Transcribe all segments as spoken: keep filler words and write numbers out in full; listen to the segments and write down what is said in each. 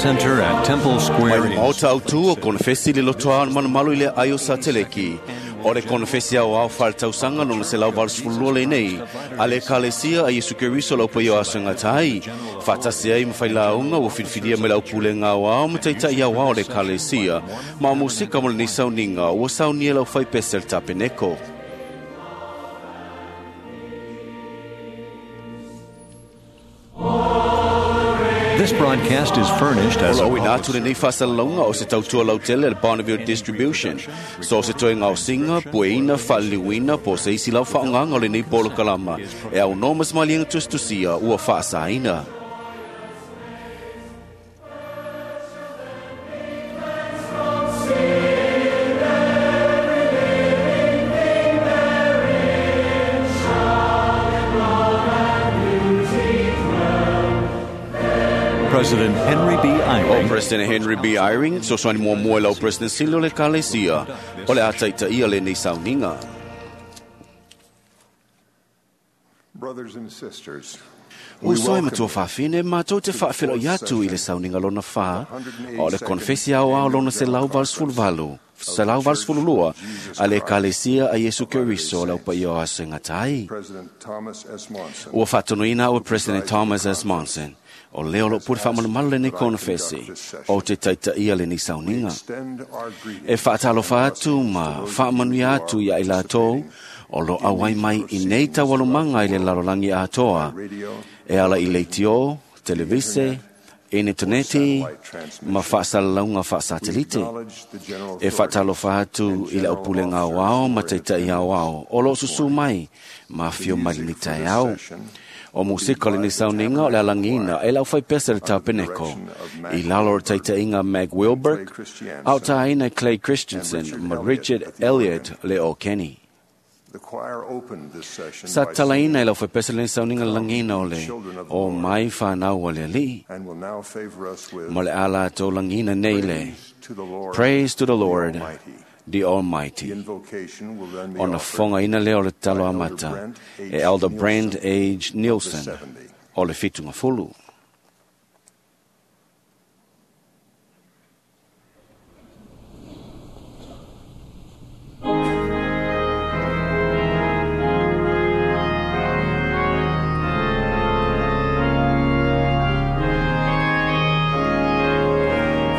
Center at Temple Square. Mai maota au tu o konfesi le lotoa o malumalu i le aio sa teleki. O le konfesi au au whaletausaga lona selau valusefulu lenei a le Ekalesia a Iesu Keriso lau paia o aso e gata ai. Faatasi ai ma failauga ua filifilia mai le aupulega aoao ma taitai aoao o le Ekalesia. Ma o musika mo lenei sauniga ua saunia lau faipese le tapeneko. This broadcast is furnished as O a lo ina public atu lenei faasalalauga o se tautua lautele a le Bonneville Distribution. So se toe gaosiga, pueina, faaliliuina po o se isi lau faaaogaga o lenei polokalama e aunoa ma se maliega tusitusia ua faasaina. President Henry B. O Eyring President Henry B. Eyring, sosoani muamua i lau President sili o le Ekalesia, o le a taitaia lenei sauniga. Brothers and sisters, we Uso e welcome matua faafine matou te faafeloai atu i le sauniga lona fa o le konfesi aoao lona selau valusefulu valu selau valusefulu lua a le Ekalesia a Iesu Keriso le aupaia o aso e gata ai. President Thomas S. Monson. Ua faatonuina au e President Thomas S. Monson o lea o loo pule faamalumalu lenei konofesi o te taitaia lenei sauniga. Extend our greetings E faatalofa and atu blessings ma to those faamanuia who atu are ia i latou o lo auai mai i nei taualumaga i le lalolagi atoa radio, e ala i leitio, televise, initaneti ma faasalalauga faasatelite. acknowledge the general E faatalofa atu i le aupulega aoao ma taitai aoao o loo susū mai ma afio mai lenei taeao. O musika o lenei sauniga o le alagiina e le aufaipese le tapeneko i lalo o le taitaiga Mag Wilberg, a o taina e Clay Christensen ma Richard Elliott le o Kenny. The choir opened this session Sa by talaina singing e le aufaipese lenei sauniga le lagiina o le o mai whanau o le alii. and will now favor us with Ma le ala tau lagiina nei le Praise to the Lord, Praise to the Lord, Almighty. the The Almighty. invocation will then be Ona offered fongaina lea o le talo amata e Elder Brent H. Nielsen seventy. o le fitunga fulu.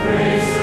Praise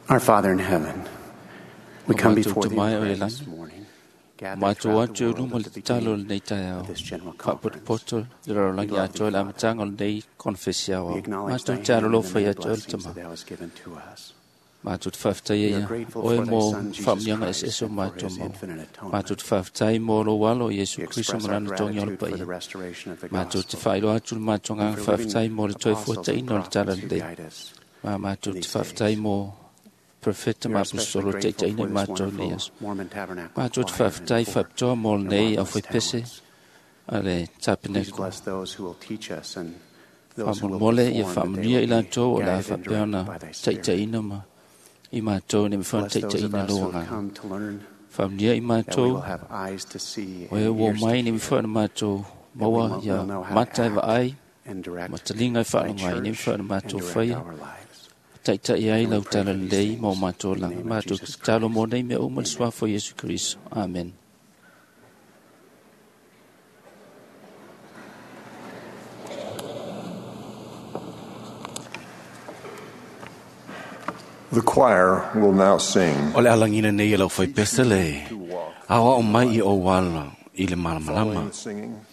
Our Father in heaven, we O come mātou before te thee mai in o prayer e this langi. morning, gathered Mātou throughout atu the e world luma at le the tatalo beginning lenei taeao. of this general conference. Faapotopoto le lalolagi We love atoa thee, le amataga o lenei konfesi We ao. acknowledge Mātou thy te hand and the alolofa many ia te ole blessings tama. that thou hast given to us. Mātou te whawhetai We e are ia. grateful Oe for thy mō Son, Jesus whaamnianga Christ, ese ese o and for mātou his mau. infinite atonement. Mātou te whawhetai mō lo walo Iesu We Kristo express our marana tongi o le gratitude for the paia. restoration of the Mātou te gospel whailo atu le mātou and ngā for living whawhetai mō le toi apostles and fuataina o le tala prophets who lelei. guide us. Ma mātou in te these whawhetai days. mō profeta We ma are especially apostolo grateful taitaina for i this mātou nei wonderful aso. Mormon Tabernacle Mātou te choir and whawhetai for whapitoa mō their lenei au marvelous whaipese talents. a le Please tapeneko. bless those who will teach us and those who will Whamolmole ia perform, that they whaamanuia i will be lātou o la guided and whapea directed ona by thy Spirit. taitaina ma i mātou ne mwhana Bless those of taitaina us who loa have ngā. come to learn Whaamanuia i that we mātou will have eyes to see o e and wō ears to mai ne hear, mwhana mātou that we maua will ia know how to mata e act vaai and direct ma talinga e thy whaalonga ai ne church mwhana and mātou direct whaia. our lives. Taitai ai And we lau pray tala for these lelei mō things mātou in the langa. name of Mātou Jesus talo mō Christ. nei mea uma le Amen. suafa o Iesu Kristo. Amen. The choir will now sing O le alangina nei e lau whai pese le. to walk. Awa o mai i o wala i le malamalama. Following the singing,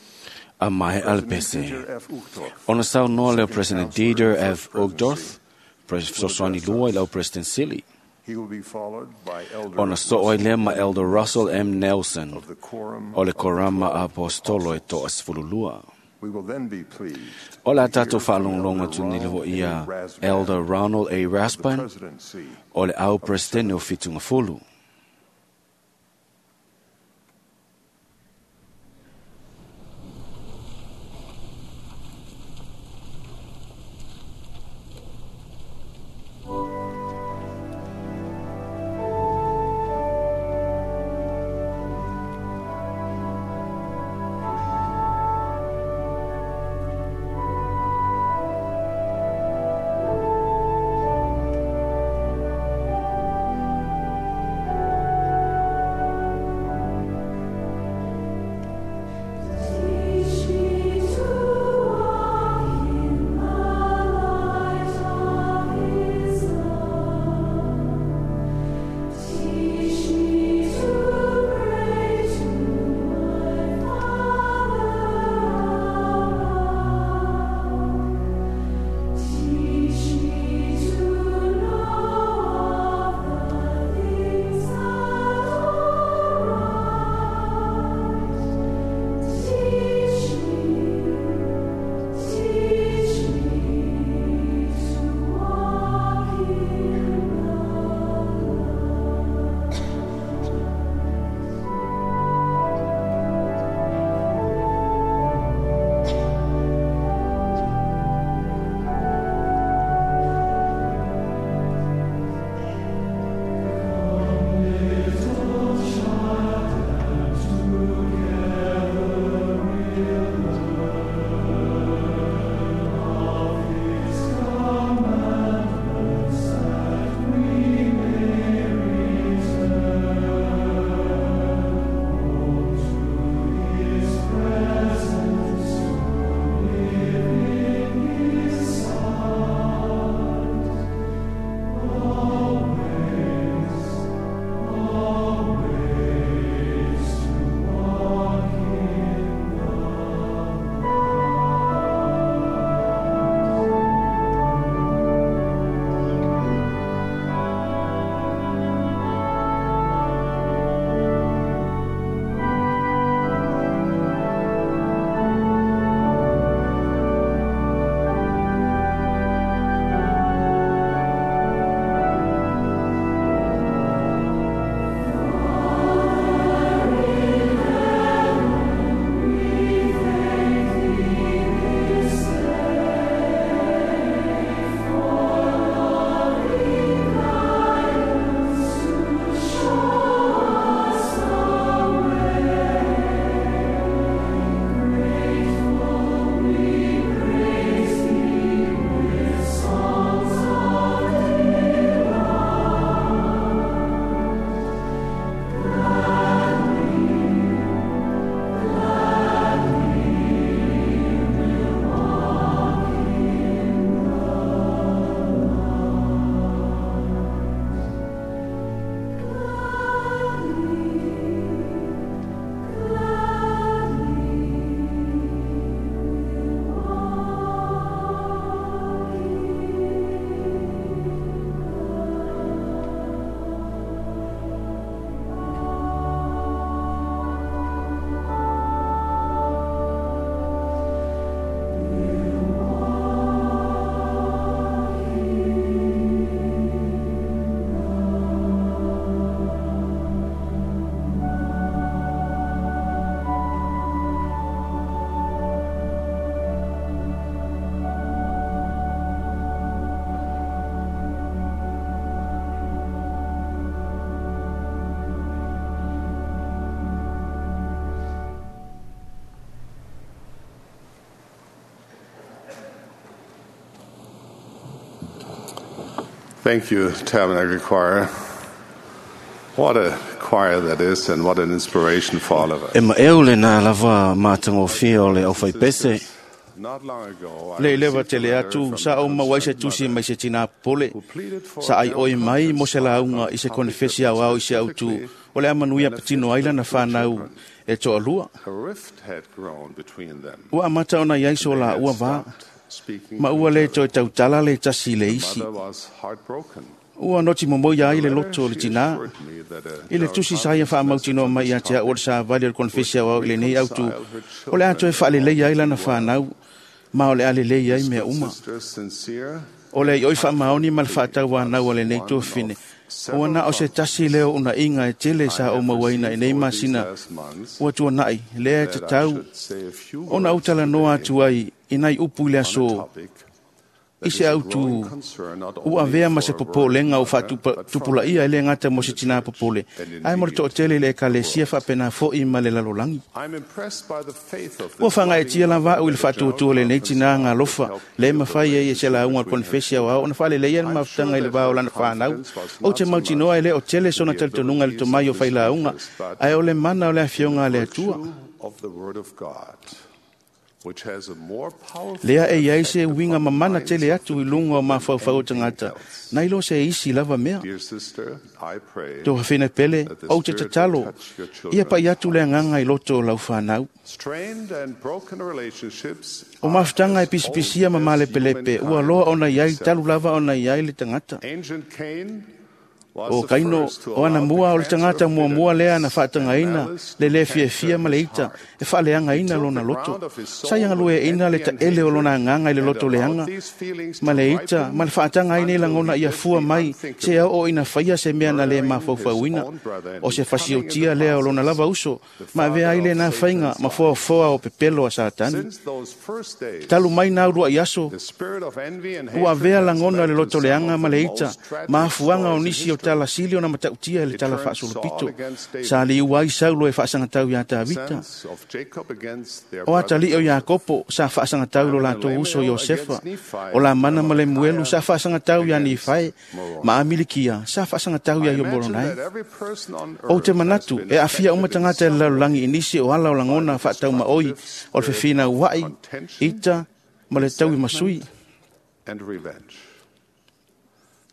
A mai a le President pese. Dieter F. Uchtdorf, Ona sau noa leo Second President Counselor Dieter of the F. First Uchtdorf, Presidency, Fesoasoani lua i lau President Sili. He will be followed by Elder Ona so oi lea ma Elder Russell M. Nelson of the Quorum o le of the Korama Twelve Apostolo e Apostles. toa sefululua. We will then be pleased O la to hear tātou from whaalonglonga Elder tu ni Ronald leho A. ia Rasband Elder Ronald A. of the Rasband Presidency o le au President o Fitunga Fulu. Thank Thank you, Tabernacle Choir. What a choir that is, and what an inspiration for all of us. E ma eo le nā lava mātangofia o le au whaipese. Not long ago, I Le lewa received a tele letter atu from sa a o mawai se concerned tusi mother mai se tina pole who pleaded for sa ai a oi mai mo se conference launga on i se topic konefesi that au au i se au tu specifically o le amanuia patino ai lana whanau e toa lua. A rift had grown between them. Ua amata ona iai so They la had ua vā stopped speaking ma to ua each le other. toe tautala le tasi le The isi. mother was heartbroken. Ua noti momo ia ai le The letter, loto o le she tina. assured me that a I le tusi sa ia conference whaamautinoa message on mai this ia te au o le topic sa vali o le konfesi au au i le nei au tu. reconcile her O le atoe children whaalelei ai lana well. whanau ma o le alelei ai This mea good uma. sister's sincere O le ioi whaamaoni ma le whaatau nau o le nei tōfine. Ua na o se tasi leo una inga e tele sa o mauaina i nei over these masina last months ua tuanai lea e te that I tau should say a few ona words utala noa today atu ai i nai upu i le on a aso topic i that se is a au tu growing concern not ua only avea ma for se a popolenga o worried mother, but from whaatupulaia e le ngata mo se tina popole. and Ai mo le indeed to'atele i le ekalesia the world. whaapena fo'i ma le lalolangi. I'm impressed by the faith of Ua this whangaetia loving lava au i le mother that the whaatuatua le nei General tina Conference ngā lofa helped le heal the mawhai ai e se relationship launga o le between her konfesi au ao ona whaaleleia le I'm mafutanga sure i le that vao her lana whanau. confidence was O not te so mautinoa e much le o tele sona the talitonuga le abilities tomai o of his whailāunga leaders, but ai o le mana o le afioga a le Atua. virtue of the Word of God, which has a more powerful Lea e iai se effect uiga upon the mamana minds tele of atu the i lunga o people than mafaufau o anything tagata. else. Nai lo se isi lava mea. Dear sister, I pray Tō hawhina pele, that the au te Spirit will tatalo, touch your ia pai children's atu le hearts. anganga i loto o lau whanau. Strained and broken relationships O are mafutanga e as old pisipisia ma as malepelepe, ua humankind loa ona iai, itself. talu lava ona iai le tagata. Ancient Cain was O the kaino first to o ana allow the mua o le cancer tagata of muamua lea na bitterness and whaatagaina malice le to le canker fiafia ma le his ita heart. e whaaleangaina He tilled lona the loto. ground of his soul Sa ianga with lue ina le envy and taele o lona hatred anganga i le and loto allowed leanga these feelings ma to le ita ripen ma le whaatanga ai nei until langona he ia did fua the mai se unthinkable, au o ina whaia se mea na le murdering his mafaufauina own brother and o se becoming in fasiotia the lea o lona process lava uso the ma avea father ai le of nā whainga Satan's ma life. foafoa o pepelo a Satani. Since those first days, Talu mai nā urua i aso the spirit of envy and ua hatred avea has langona led le to loto some leanga of ma the le ita most tragic ma afuanga o stories in nisi o history. tala sili ona matautia i le It tala turned Saul faasolopito against David, sa liu ai saulo e faasagatau iā Tavita sons of Jacob against their o brother atalii o Joseph. Iakopo sa faasagatau lo Laman and latou uso Lemuel Iosefa against Nephi, o lamana ma le muelu sa Amalickiah faasagatau iā against Nifae Moroni. ma Amilikia sa faasagatau I iā imagine Iomoronai. that every person on O te earth has manatu been e afia uma affected in tagata e some lalolagi way i nisi o ala o by lagona the faataumaoi destructive o le spirit fefina of ua'i contention, ita ma le taui masui. resentment, and revenge.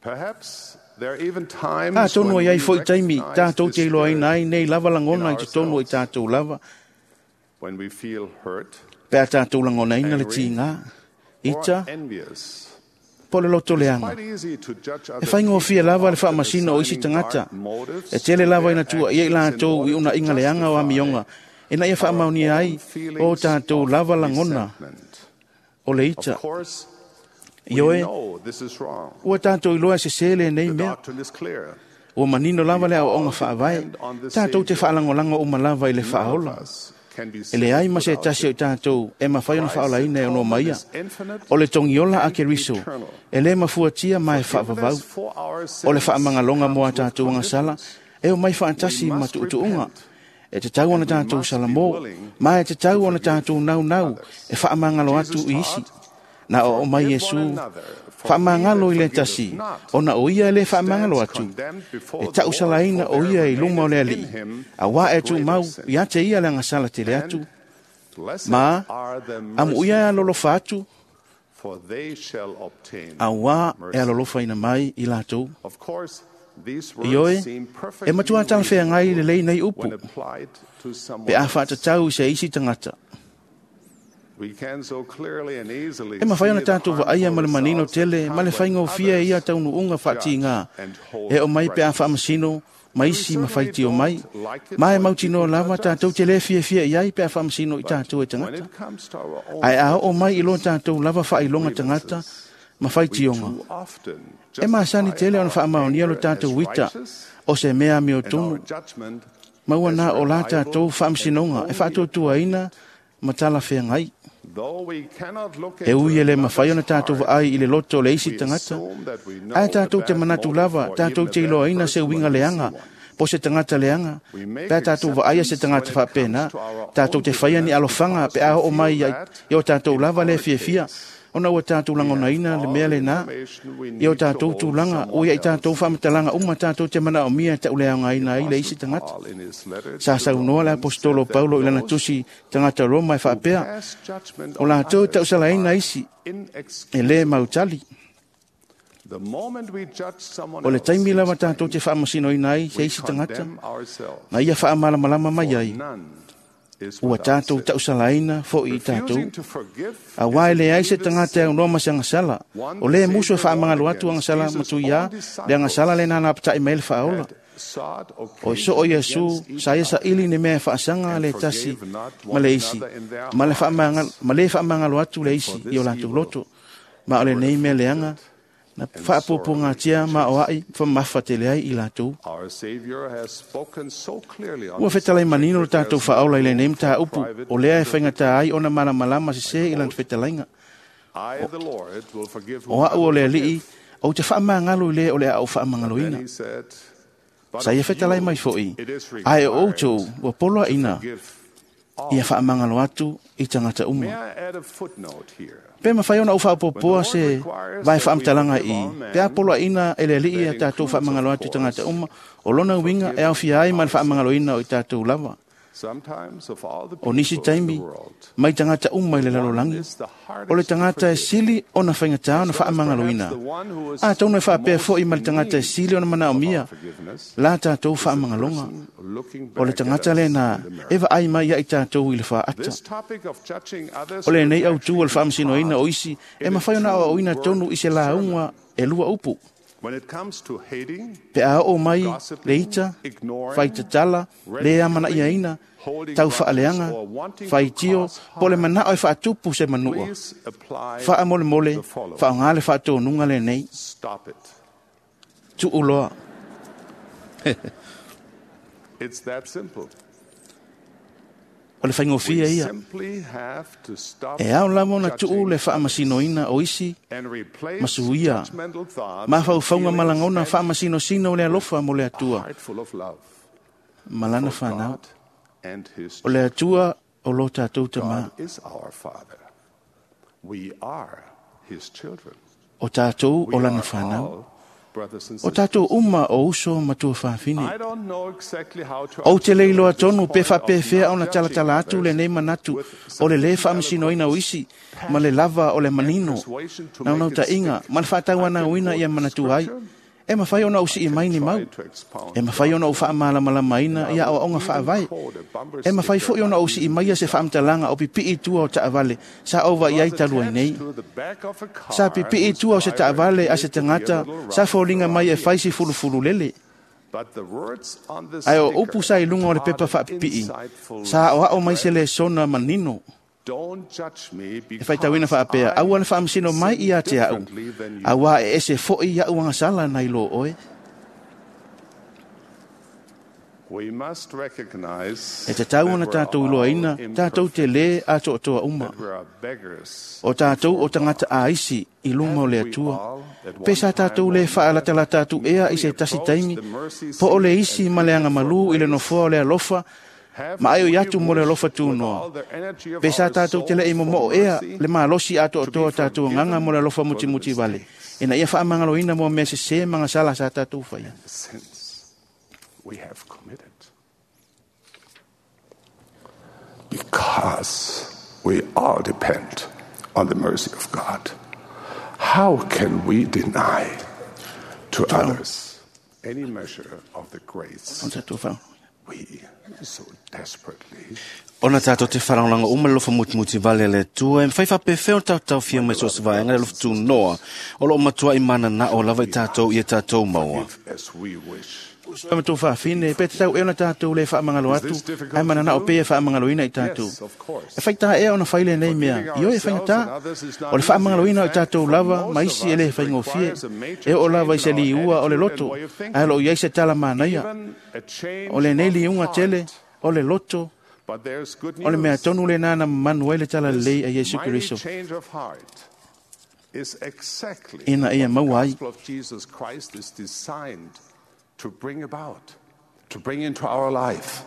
Perhaps there are even times Atonu when ai ai we foi taimi recognize tātou this te iloaina spirit ai nei lava in lagona i totonu o i ourselves. tātou lava when we feel hurt pe a tātou lagonaina le angry, tīgā or ita envious. po le loto It's leaga. quite easy to judge E other whaingofie people, lava le often whaamasina o isi assigning tagata. dark motives E tele to lava their ina tua ia i actions in latou i order una to inga leanga o justify amionga. E na ia our whaamaunia own ai o feelings tātou of lava lagona resentment. o le Of ita. course, we Ioe, know this is wrong. ua tātou iloa se sele nei The mea. doctrine is clear. Ua manino lava We le aoaoga all faavae. depend on the Tātou te Savior. whaalangolanga o malava i le None of whaaola. us can be E le ai saved ma se without tasi o him. i tātou e mawhai ona Christ's whaolaina e ono atonement maia. is infinite O le tongiola a and Keriso, eternal. e le mafuatia ma e whaavavau. Forgiveness for our O le sins whaamangalonga comes mo a with tātou angasala, conditions. e o mai We whaatasi ma must tuutuunga. repent E te tau ona and we tātou must be salamo, willing ma e te tau to ona forgive tātou nau nau, others. e whaamangalo atu Jesus i isi. taught, Na o o mai "Forgive Iesu, one another, for he whaamangalo that i le forgiveth tasi, not ona o ia e le whaamangalo stands atu. condemned before E the tau Lord, salaina for o there ia i luma o le remaineth alii. in him A wā a e tū greater mau, sin." ia te ia le angasala tele atu, And blessed ma are the amu ia e merciful, alolofa atu, for they shall obtain a wā e mercy. alolofa ina mai i lātou. Of course, these Ioe, words seem e perfectly matua talawhea ngai le lei nei reasonable upu, when applied to someone pe a else. whaatatau i se isi tangata. We can so clearly and easily E mawhai see ona the tātou vaaia ma le harmful manino results that tele, ma come le when whaingofia others ia taunuunga whaatinga. judge and hold E o mai pe a grudges. whaamasino, ma We isi ma certainly whaiti o mai. don't like it Ma e when mautinoa people lava judge tātou us. te le fiafia i ai pe a whaamasino i But tātou e when tangata. it comes to our own Ai a o mai i lo prejudices tātou lava and whailonga tangata, grievances, ma we whaitionga. too often E maasani justify tele ona our whaamaonia lo anger as tātou wita, righteous o se mea meo and our tonu. judgment Maua as nā o la reliable tātou and whaamasinoga, e only whaatuatua ina, ma tala whea ngai. Though we cannot look E ui into e le mawhai ona another's tātou heart, vaai i le loto o le isi we tangata. assume that we know Ai a tātou te bad manatu motive lava, or tātou even a te bad iloaina se person uinga when we see leanga, one. po se tangata leanga. We make Pea tātou vaaia se exceptions when tangata it whaapena, comes to our tātou own te whaia ni bitterness alofanga, because pe a we o mai feel i that i o tātou in lava le our fiafia, case, Ona ua tātou langonaina le mea lena i o tātou tulaga ua ia i tātou faamatalaga uma tātou te manaomia e ta'uleaogaina ai le isi tagata. Sa saunoa le Aposetolo Paulo i lana tusi tagata Roma e faapea, o latou e ta'usalaina isi e lē mautali. O le taimi lava tātou te faamasinoina ai se isi tagata, na ia faamalamalama mai ai, ua tātou ta'usalaina fo'i i tātou. Auā e leai se tagata e aunoa ma se agasala, o lē musu e faamagalo atu agasala matuiā le agasala lena na apata'i mai le faaola. O soo Iesu sa ia saili ni mea e faasaga le tasi ma le isi, ma le ma lē faamagalo atu le isi i o latou loto. Ma o lenei mea leaga na faapuapuagatia ma o a'i famafatele ai i latou. Ua fetalai manino le tatou faaola i lenei mataupu, o lea e faigata ai ona malamalama sesē i lana fetalaiga. O a'u o le Alii, ou te faamagalo i lē o le a ou faamagaloina. Sa ia fetalai mai fo'i, ae o outou ua poloaʻina ia faamagalo atu i tagata uma. Pe mafai ona ou faapopoa se vae faamatalaga i pe a poloaʻina e le Alii ia tatou faamagalo atu i tagata uma, o lona uiga e aofia ai ma le faamagaloina o i tatou lava. O nisi taimi mai tagata uma i le lalolagi, o le tagata e sili ona faigata ona faamagaloina. Atonu e faapea fo'i ma le tagata e sili ona manaomia la tatou faamagaloga, o le tagata lena e vaai mai ia i tatou i le faata. O lenei autū o le faamasinoina o isi e mafai ona aoaoina tonu i se lauga e lua upu. Pe a oo mai le ita, faitatala, lē amana'iaina, taufaaleaga, faitio, po o le mana'o e faatupu se manua, faamolemole, faaaogā le faatonuga lenei. Tu'u loa. O le faigofie ia. E ao lava ona tu'u le faamasinoina o isi ma suia mafaufauga ma lagona faamasinosino o le alofa mo le Atua ma lana fanau. O le Atua o lo tatou tamā. O tatou o lana fanau. O tatou uma o uso ma tuafafine. Ou te le iloa tonu pe faapefea ona talatala atu lenei manatu o le lē faamasinoina o isi ma le lava o le manino naunautaiga ma le faatauanauina ia manatu ai. E mafai ona ou sii mai ni mau. E mafai ona ou faamalamalamaina ia aoaoga faavae. E mafai fo'i ona ou sii maia se faamatalaga o pipi'i tua o taavale sa ou vaai ai talu ai nei. Sa pipi'i tua o se taavale a se tagata sa foliga mai e fai si fulufulu lele. Ae o upu sa i luga o le pepa faapipii, sa aoao mai se lesona manino. E faitauina faapea, aua le faamasino mai ia te a'u, auā e ese fo'i a'u agasala nai lō oe. E tatau ona tatou iloaina, tatou te lē atoatoa uma. O tatou o tagata aisi i luma o le Atua. Pe sa tatou lē faalatalata atu ea i se tasi taimi, po o le isi ma le agamalū i le nofoa o le alofa, ma ai o i atu mo le alofa tunoa. Pe sa tatou te le'i momo'o ea le malosi atoatoa tatou agaga mo le alofa mutimuti vale, ina ia faamagaloina mo mea sesē ma gasala sa tatou faia. Because we all depend on the mercy of God. How can we deny to others any measure of the grace we so desperately Ona tātou te wharangolanga uma le lofa mutimuti vale le tua, e mwhai whapewhea o tātou fia mai so se vaenga le lofa tūnoa, o lo matua i mana na o lava i tātou i e tātou maua. as we wish? Uso ma fafine, pe te tau e ona tātou le whaamangalo atu, ai mana na o pe e whaamangaloina i tātou. E whaita ea ona whaile nei mea, i o e whaingata, o le whaamangaloina o tātou lava, ma isi e le whaingofie, e o lava i se liua o le loto, ai lo iai se tala manaia, o le nei liunga tele, o le loto, But there's good o le mea news. tonu le nana manu ai le tala lelei a Iesu Mighty Keriso. change of heart is exactly Ina ia what the maua ai. gospel of Jesus Christ is designed to bring about, to bring into our life.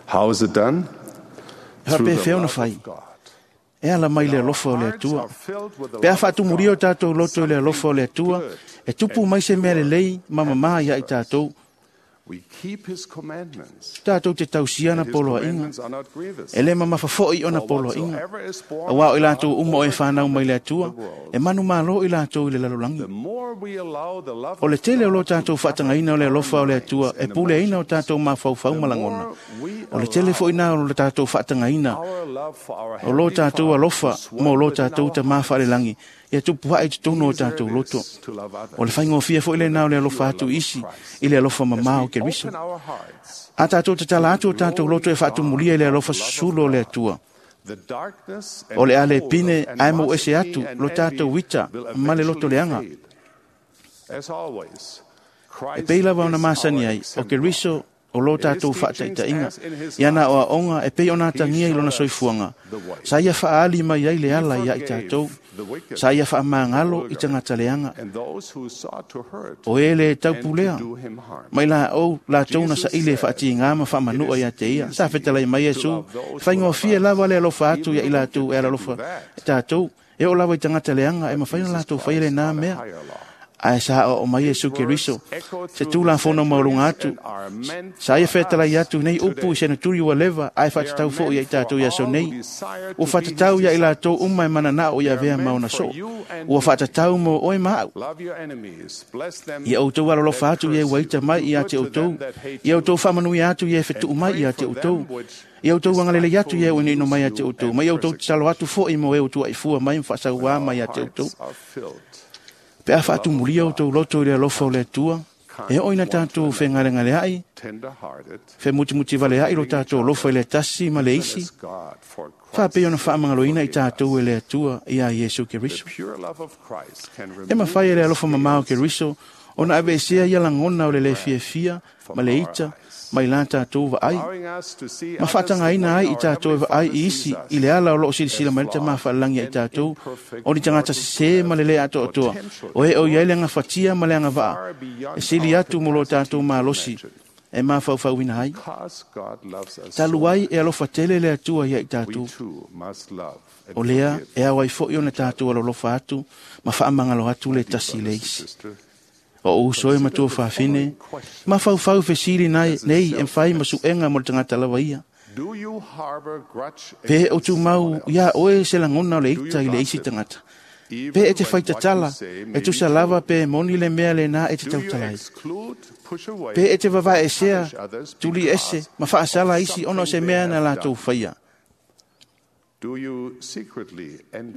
How is it done? E Through the whapewhea ona love whai. of God. E ala mai le alofa o le Atua. Pe a faatumulia o tātou loto i le alofa o le Atua, e tupu mai se mea lelei ma mamā ia i tātou. Tātou te tausia na poloaiga. E le mamafa fo'i ona poloaiga. Auā o i latou uma o e whanau mai le Atua, e manu malo i latou i le lalolagi. O le tele o lo tātou whaatagaina o le alofa o le Atua, e puleaina o tātou mafaufau ma lagona. O le tele fo'i na o lo tātou whaatagaina, o lo tātou alofa mo lo tātou tamā whaalelagi, ia tupu hae totonu o tātou loto. O le whaingofia fo'i le nā o le alofa atu isi, i le alofa mamā o Keriso. A tātou tatala atu o tātou loto e whaatumulia i le alofa susulo o le Atua. O le ale pine ae mo ese atu lo tātou wita ma le loto leanga. E pei lava ona masani ai, o Keriso o lo tātou whaataitainga, ia na o aonga e pei ona tangia i lona soifuanga. Sa ia whaali mai ai le ala ia i tātou, sa ia whaamangalo i tangata leanga. O e le taupulea, mai la o la tau na sa ile whaati ngā ma whaamanua ia te ia. Sa whetalai mai Yesu, whaingofie lava le alofa atu ia i lātou e ala alofa tātou, e o lava i tangata leanga e mawhai na lātou whaile nā mea. Ae sa o o mai Yesu Keriso, se tū la fono maulunga atu, sa ia whetalai atu nei upu i senaturi ua leva, ae whaatatau fo ia i tātou ia so nei. Ua whaatatau ia i lātou uma e mana o ia vea mauna so. Ua whaatatau mo oe maau. Ia outou alolofa atu ia waita mai ia te outou. Ia outou whamanui atu ia whetuu mai ia te outou. Ia outou angalele atu ia ua ino mai ia te outou. Mai outou tatalo atu fo'i mo e outou aifua mai mwhaasauā mai ia te outou. Pe a whaatumulia o tau loto i le alofa o le Atua, e oi na tātou whengalengale ai, whe mutimuti vale ai lo tātou alofa i le tasi ma le isi, whaapei ona whaamangaloina i tātou e le Atua i a Yesu Keriso. E mawhai e le alofa mamao Keriso, ona ave esea ia langona o le le fiafia ma le ita, mai la tātou vaai. Ma whaatangaina ai i tātou e vaai i isi i le ala o loo silisila mai le tamā whaalangi ai tātou, o ni tangata sese ma le le ato atoa, o e o iai le ngawhatia ma le angawaa, e sili atu mo lo tātou malosi, e mawhauwhauina ai. Talu ai e alofa tele le Atua ia i tātou. O lea e awai fo'i ona tātou alolofa atu, ma whaamangalo atu le tasi le isi. O uso e matua whawhine, ma whauwhau whesiri nei, nei e whai masuenga mo le tangata lawa ia. Pe o tū mau ia oe se langona o le ita i le isi tangata. Pe e te whaitatala, e tusa lava pe e moni le mea le nā e te tautalai. Pe e te vavae esea, tuli ese, ma whaasala isi ono se mea na lātou whaia.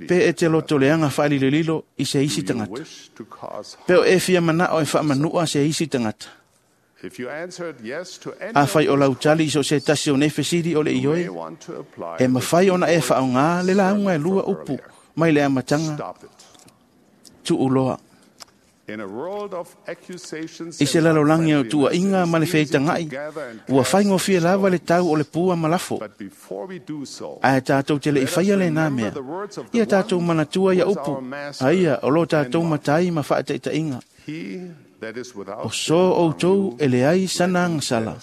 Pe e te loto leanga whaalililo i se isi tangata. Pe o e fia mana o e whaamanua se isi tangata. A whai o lautali iso se tasi o nei whesiri o le ioe, e mawhai ona e whaonga le launga e lua upu mai le amatanga tuuloa. I se lalolangi o tua inga ma le wheitangai, ua whaingofia lava le tau o le pua malafo. Ae tātou te le i whaia le nā mea, ia tātou manatua ia upu, aia o lo tātou matai ma whaataitainga. O so outou e le ai sana ngasala,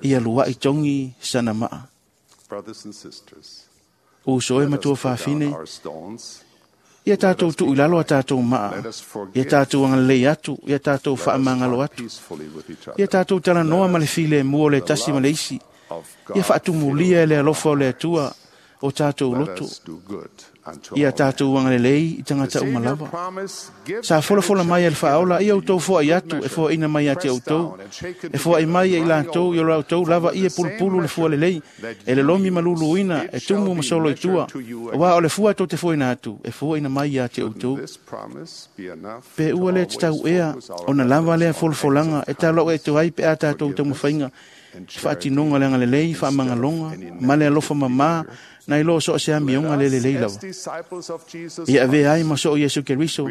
ia lua i tongi sana maa. O so e matua whawhine, ia tātou tu ilalo a tātou maa, ia tātou angalei atu, ia tātou whaamangalo atu, ia tātou talanoa ma le file mua o le tasi ma le isi, ia whaatumulia e le alofa o le Atua o tātou loto, ia tātou angalelei i tangata umalava. Sa folafola mai e le whaola, ia outou foa i atu, e foa ina mai a te outou, e foa i mai e i lātou, i o lautou lava ia pulupulu le fua lelei, e le lomi maluluina, e tumu masolo i tua, wa o le fua tau te foa ina atu, e foa ina mai a te outou. Pe ua le te tau ea, ona lava lea folafolanga, e tālo e tuai pe a tātou taumawhainga, whaatinonga le angalelei, whaamangalonga, ma le alofa mamā, na i lo so se amionga le le lava. Ia ave ai ma so Yesu Keriso.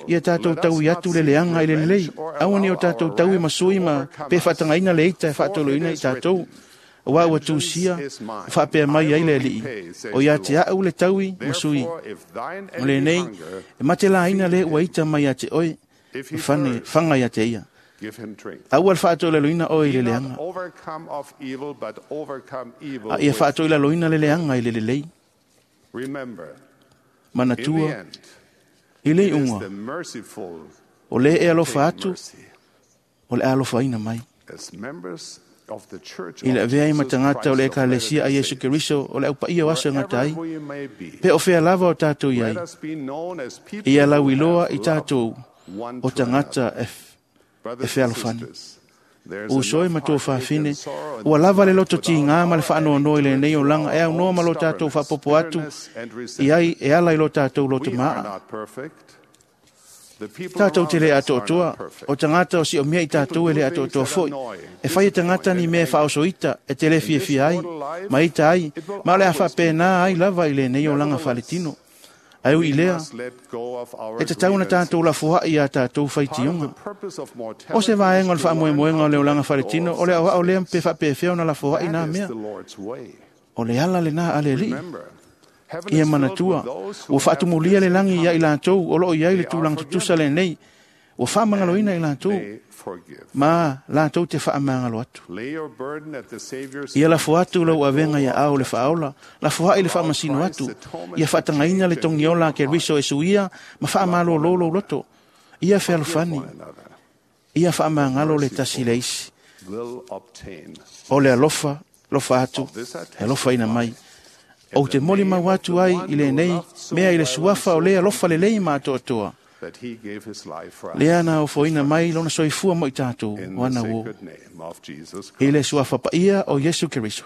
Ia tātou tau i atu le leanga i le lelei. Aua ni o tātou tau i masui ma pe whaatangaina le ita e whaatoloina i tātou. Wa ua tūsia, whaapea mai ai le alii. O ia te au le taui masui. O le nei, e mate la aina le ua ita mai a te oe, whane, whanga ia te ia. Aua le whaatolaloina oe i le leanga. A ia whaatolaloina le leanga i le lelei. Manatua, i le iuga, o lē e alofa atu, o le a alofaina mai. I le avea ai ma tagata o le Ekalesia a Iesu Keriso o le aupaia o aso e gata ai, pe o fea lava o tatou i ai, ia lauiloa i tatou o tagata e, e fealofani. Uso e ma tua fafine, ua lava le loto tiga ma le faanoanoa i lenei olaga e aunoa ma lo tatou faapopo atu i ai e ala i lo tatou loto maa. Tatou te le atoatoa, o tagata o siomia i tatou e le atoatoa foi. E fai e tagata ni mea faaosoita e te le fiafia ai, ma ita ai, ma o le a faapena ai lava i lenei olaga faaletino. Ae ui i lea, e tatau ona tatou lafoai iā tatou faitioga. O se vaega o le faamoemoega o le olaga faaletino, o le aoao lea pe faapefea ona lafoai nā mea. O le ala lenā a le Alii. Ia manatua, ua faatumulia le lagi ia i latou o loo i ai le tulaga tutusa lenei, ua faamagaloina i latou, ma latou te faamagalo atu. Ia lafo atu lau avega ia ao le faaola, lafoai le faamasino atu, ia faatagaina le togiola a Keriso e suia ma faamalōlō lou loto. Ia fealofani, ia faamagalo le tasi le isi. O le alofa, lofa atu, e alofaina mai. Ou te moli mau atu ai i lenei mea i le suafa o le alofa lelei ma atoatoa. Lea na ofoina mai lona soifua mo i tatou o ana uō. I le suafa paia o Iesu Keriso.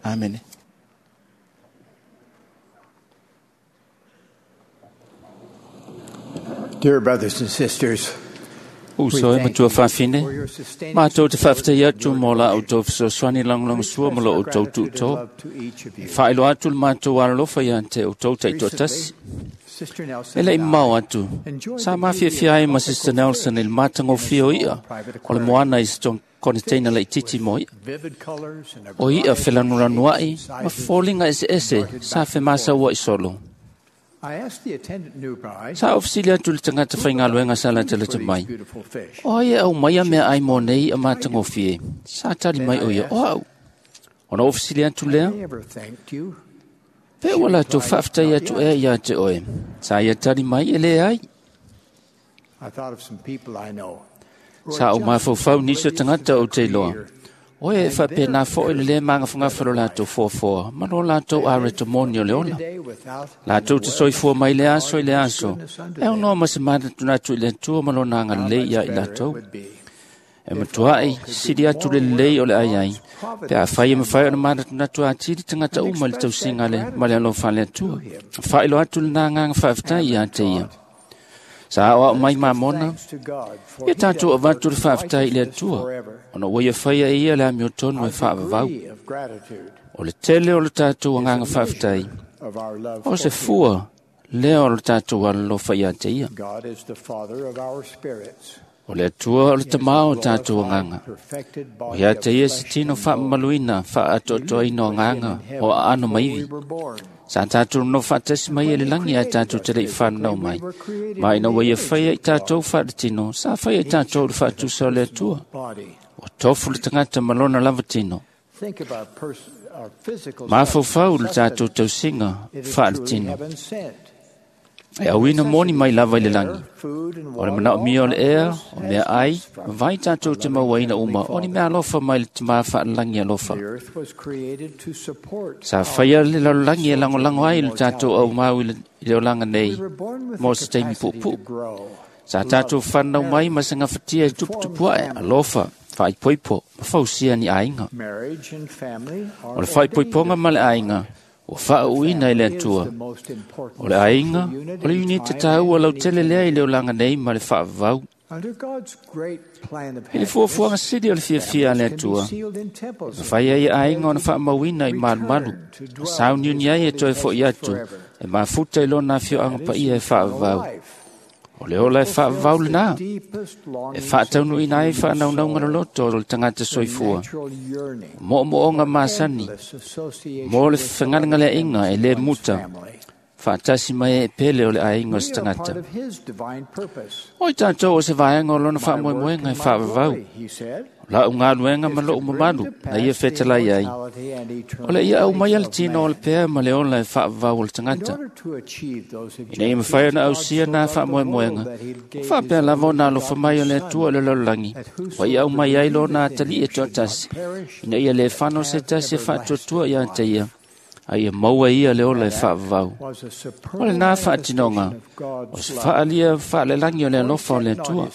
Amene. Dear brothers and sisters, Uso e matua fafine, mātou te faafetai atu mo la outou fesoasoani lagolagosua ma lo outou tuutō. E faailoa atu le matou alolofa ia te outou taitoatasi. E le i mamao atu, sa mafiafia ai ma Sister Nelson i le matagofie o i'a o le moana i se koneteina laitiiti mo i'a. O i'a felanulanua'i ma foliga eseese sa femasaua'i solo. Sa ofisili atu le tagata faigaluega sa latalata mai. O ai e au mai a mea ai mo nei a matagofie. Sa tali mai o ia, o au. Ona ofisili atu lea, pe ua latou faafetai atu ea ia te oe. Sa ia tali mai e le ai. Sa o mafaufau nisi o tagata o te iloa. Oe e faapena foi le lē magafagafa lo latou foafoa ma lo latou areto moni o le ola. Latou te soifua mai le aso i le aso, e aunoa ma se manatunatu i le Atua ma lona agalelei ia i latou. E matuai sili atu le lelei o le ai ai, pe afai e mafai ona manatunatu atili tagata uma i le tausiga le ma le alofa a le Atua. Faailoa atu lena agaga faafetai ia te ia. Sa aoao mai mamona, ia tatou avatu le faafetai i le Atua, ona ua ia faia e ia le amiotonu e faavavau. O le tele o le tatou agaga faafetai, o se fua lea o le tatou alolofa ia te ia. O le Atua o le tamā o tatou agaga. O ia te ia se tino faamamaluina faaatoatoaina o agaga o aano ma ivi. Sa tatou nonofo faatasi mai e le lagi ae tatou te le i fananau mai. Ma ina ua ia faia i tatou faaletino, sa faia i tatou le faatusa o le Atua. Ua tofu le tagata ma lona lava tino. Mafaufau le tatou tausiga faaletino. E auina moni mai lava i le lagi. O le manaomia o le ea, o mea ai, ma vai tatou te mauaina uma, o ni mea alofa mai le tamā faalelagi alofa. Sa faia le lalolagi e lagolago ai le tatou aumau i le olaga nei mo se taimi puupuu. Sa tatou fananau mai ma se gafatia e tuputupuae, alofa, faaipoipo ma fausia ni aiga. O le faaipoipoga ma le aiga, ua faauuina i le Atua. O le aiga, o le iunite tāua lautele lea i le olaga nei ma le faavavau. I le fuafuaga sili o le fiafia a le Atua, e mafai ai aiga ona faamauina i malumalu, ma sauniuni ai e toe fo'i atu, e mafuta i lona afioaga paia e faavavau. O le ola e faavavau lenā, e faataunuuina ai faanaunauga loloto o le tagata soifua, moomooga masani, mo le fegalegaleaʻiga e lē muta, Faatasi mai e pele o le aiga o se tagata. O i tātou o se vaega o lona faamoemoega e faavavau. O lau galuega ma lou mamalu na ia fetalai ai. O le ia aumaia le tino o le pea ma le ola e faavavau o le tagata. Ina ia mafai ona ausia nā faamoemoega, o faapea lava ona alofa mai o le Atua i le lalolagi, ua ia aumai ai lona atalii e toatasi, ina ia le fano se tasi e faatuatua ia te ia, a ia maua ia le ola e faavavau. O lenā faatinoga, o se faalia faalelagi o le alofa o le Atua.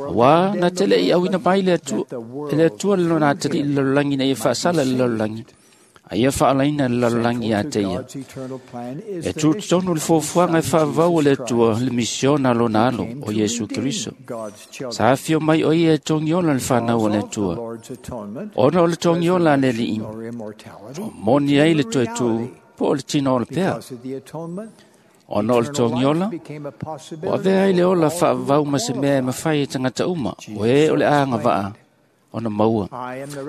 Auā na te le'i auina mai le Atua, e le Atua le lona atalii i le lalolagi ina ia faasala i le lalolagi, a ia faalaina le lalolagi ia te ia. E tutotonu le fuafuaga e faavavau o le Atua le misiona a lona alo o Iesu Keriso. Sa afio mai o ia e togiola le fanau o le Atua. Ona o le togiola a le Alii, o moni ai le toe tū po o le tino o le pea. Ona o le togiola, o avea ai le ola faavavau ma se mea e mafai e tagata uma, o e o le agavaa ona maua.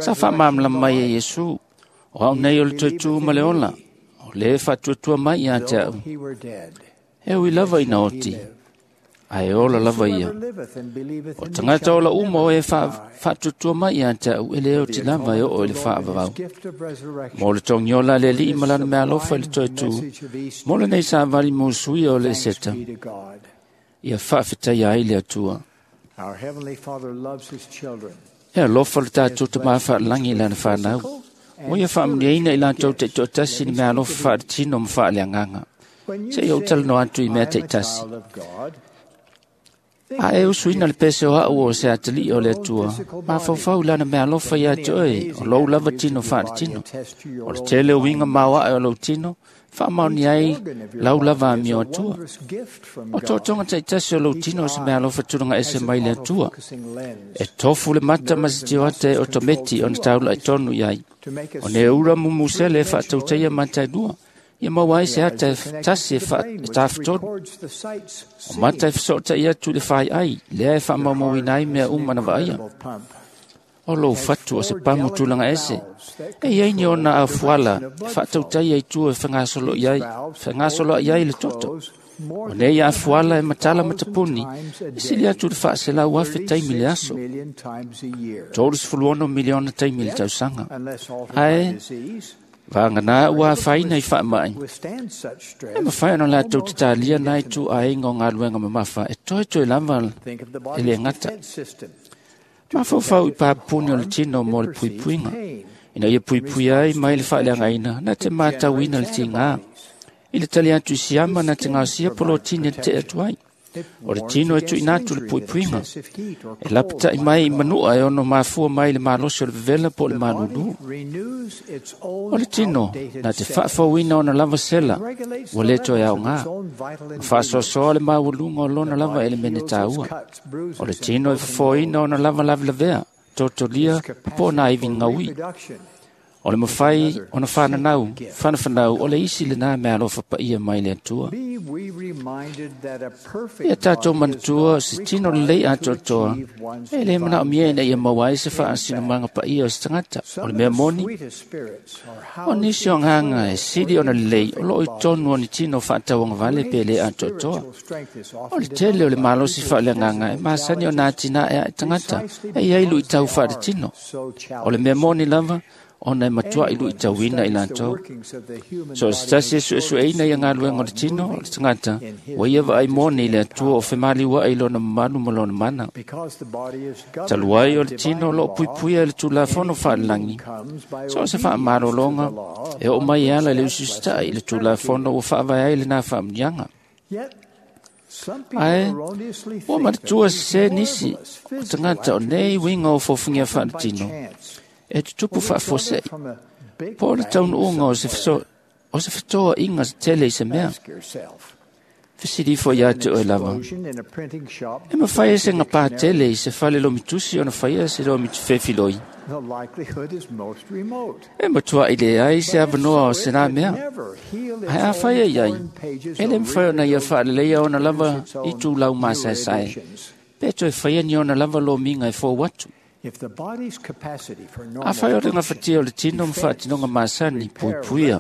Sa faamalamalama mai e Iesu, o au nei o le toe tū ma le ola, o le faatuatua mai ia te au. E ui lava ina oti, ae ola lava ia. O tagata ola uma o e faatuatua mai ia te au, e le oti lava e oo i le faavavau. Mo le togiola a le Alii ma lana meaalofa i le toe tū, mo lenei savali musuia o le Eseta, ia faafetaia ai le Atua. E alofa le tātou tamā faalagi i lana whanau. O ia faamanuiaina i latou taitoatasi i le meaalofa faaletino ma faaleagaga. Se i ou talanoa atu i mea taitasi. A e usuina le pese o au o se atalii o le Atua, mafaufau i lana meaalofa ia te oe, o lou lava tino faaletino. O le tele o uiga maoae o lou tino, faamaoni ai lau lava amio Atua. O tootoga taitasi o lou tino o se meaalofa tulaga ese mai le Atua. E tofu le mata ma se tioata e otometi ona taula'i tonu i ai. O ne ura mumusele e faatautaia mata e lua, ia maua ai se ata e tasi e tafatolu. O mata e feso'ota'i atu i le fai'ai, lea e faamaumauina ai mea uma na vaaia. O lou fatu o se pamu tulaga ese, e iai ni ona afuala e faatautaia i tua e fegasolo'i ai, fegasoloa'i ai le toto. O nei afuala e matala matapuni, e sili atu i le faaselau afe taimi le aso. tolu ono miliona taimi le tausaga. Ae, vaganā ua afaina i faamai. E mafai ona latou tatalia nai ituaiga o galuega mamafa e toetoe lava e le gata. Mafaufau i papuni o le tino mo le puipuiga. Ina ia puipuia ai mai le faaleagaina, na te matauina le tigā. I le tali atu i siama na te gaosia polotini e te'e atu ai. O le tino e tuuina atu le puipuiga. E lapata'i mai i manua e ono mafua mai le malosi o le vevela po o le malulū. O le tino na te faafouina ona lava sela ua le toe aogā. Ma faasoasoa le maualuga o lona lava elemene tāua. O le tino e fofoina ona lava lavelavea, totolia po o nā ivi gaui. O le mafai ona whananau, whanafanau, o le isi le nā meaalofa paia mai le Atua. Ia tātou manatua se tino lelei atoatoa, e le manaomia ina ia maua ai se faasinomaga paia o se tagata. O le mea moni, o nisi o agaga e sili ona lelei, o loo i tonu o ni tino faatauagavale pe le atoatoa. O le tele o le malosi faaleagaga e masani ona atinae ae tagata, e iai luitau faaletino. O le mea moni lava, ona e matua'i lu'itauina i latou. So o se tasi e su'esu'eina ia galuega o le tino o le tagata, ua ia vaai moni i le Atua o femaliua'i i lona mamalu ma lona mana. Talu ai o le tino o loo puipuia i le Tulafono faalelagi, so o se faamalologa e oo mai e ala i le usiusita'i i le Tulafono ua faavae ai lenā faamanuiaga. Ae, ua manatua sesē nisi o tagata o nei uiga o fofogia faaletino, e tutupu faafuase'i, po o le taunuuga o se feso, o se fetoa'iga tele i se mea. Fesilifo iā te oe lava. E mafai e se gapā tele i se fale lomitusi ona faia se lomifefiloi. E matua'i leai se avanoa o se nā mea. Ae afai e iai, e le mafai ona ia faaleleia ona lava i tulau masaesae, pe toe faia ni ona lava lomiga e fou atu. Afai o le gafatia o le tino ma faatinoga masani, puipuia,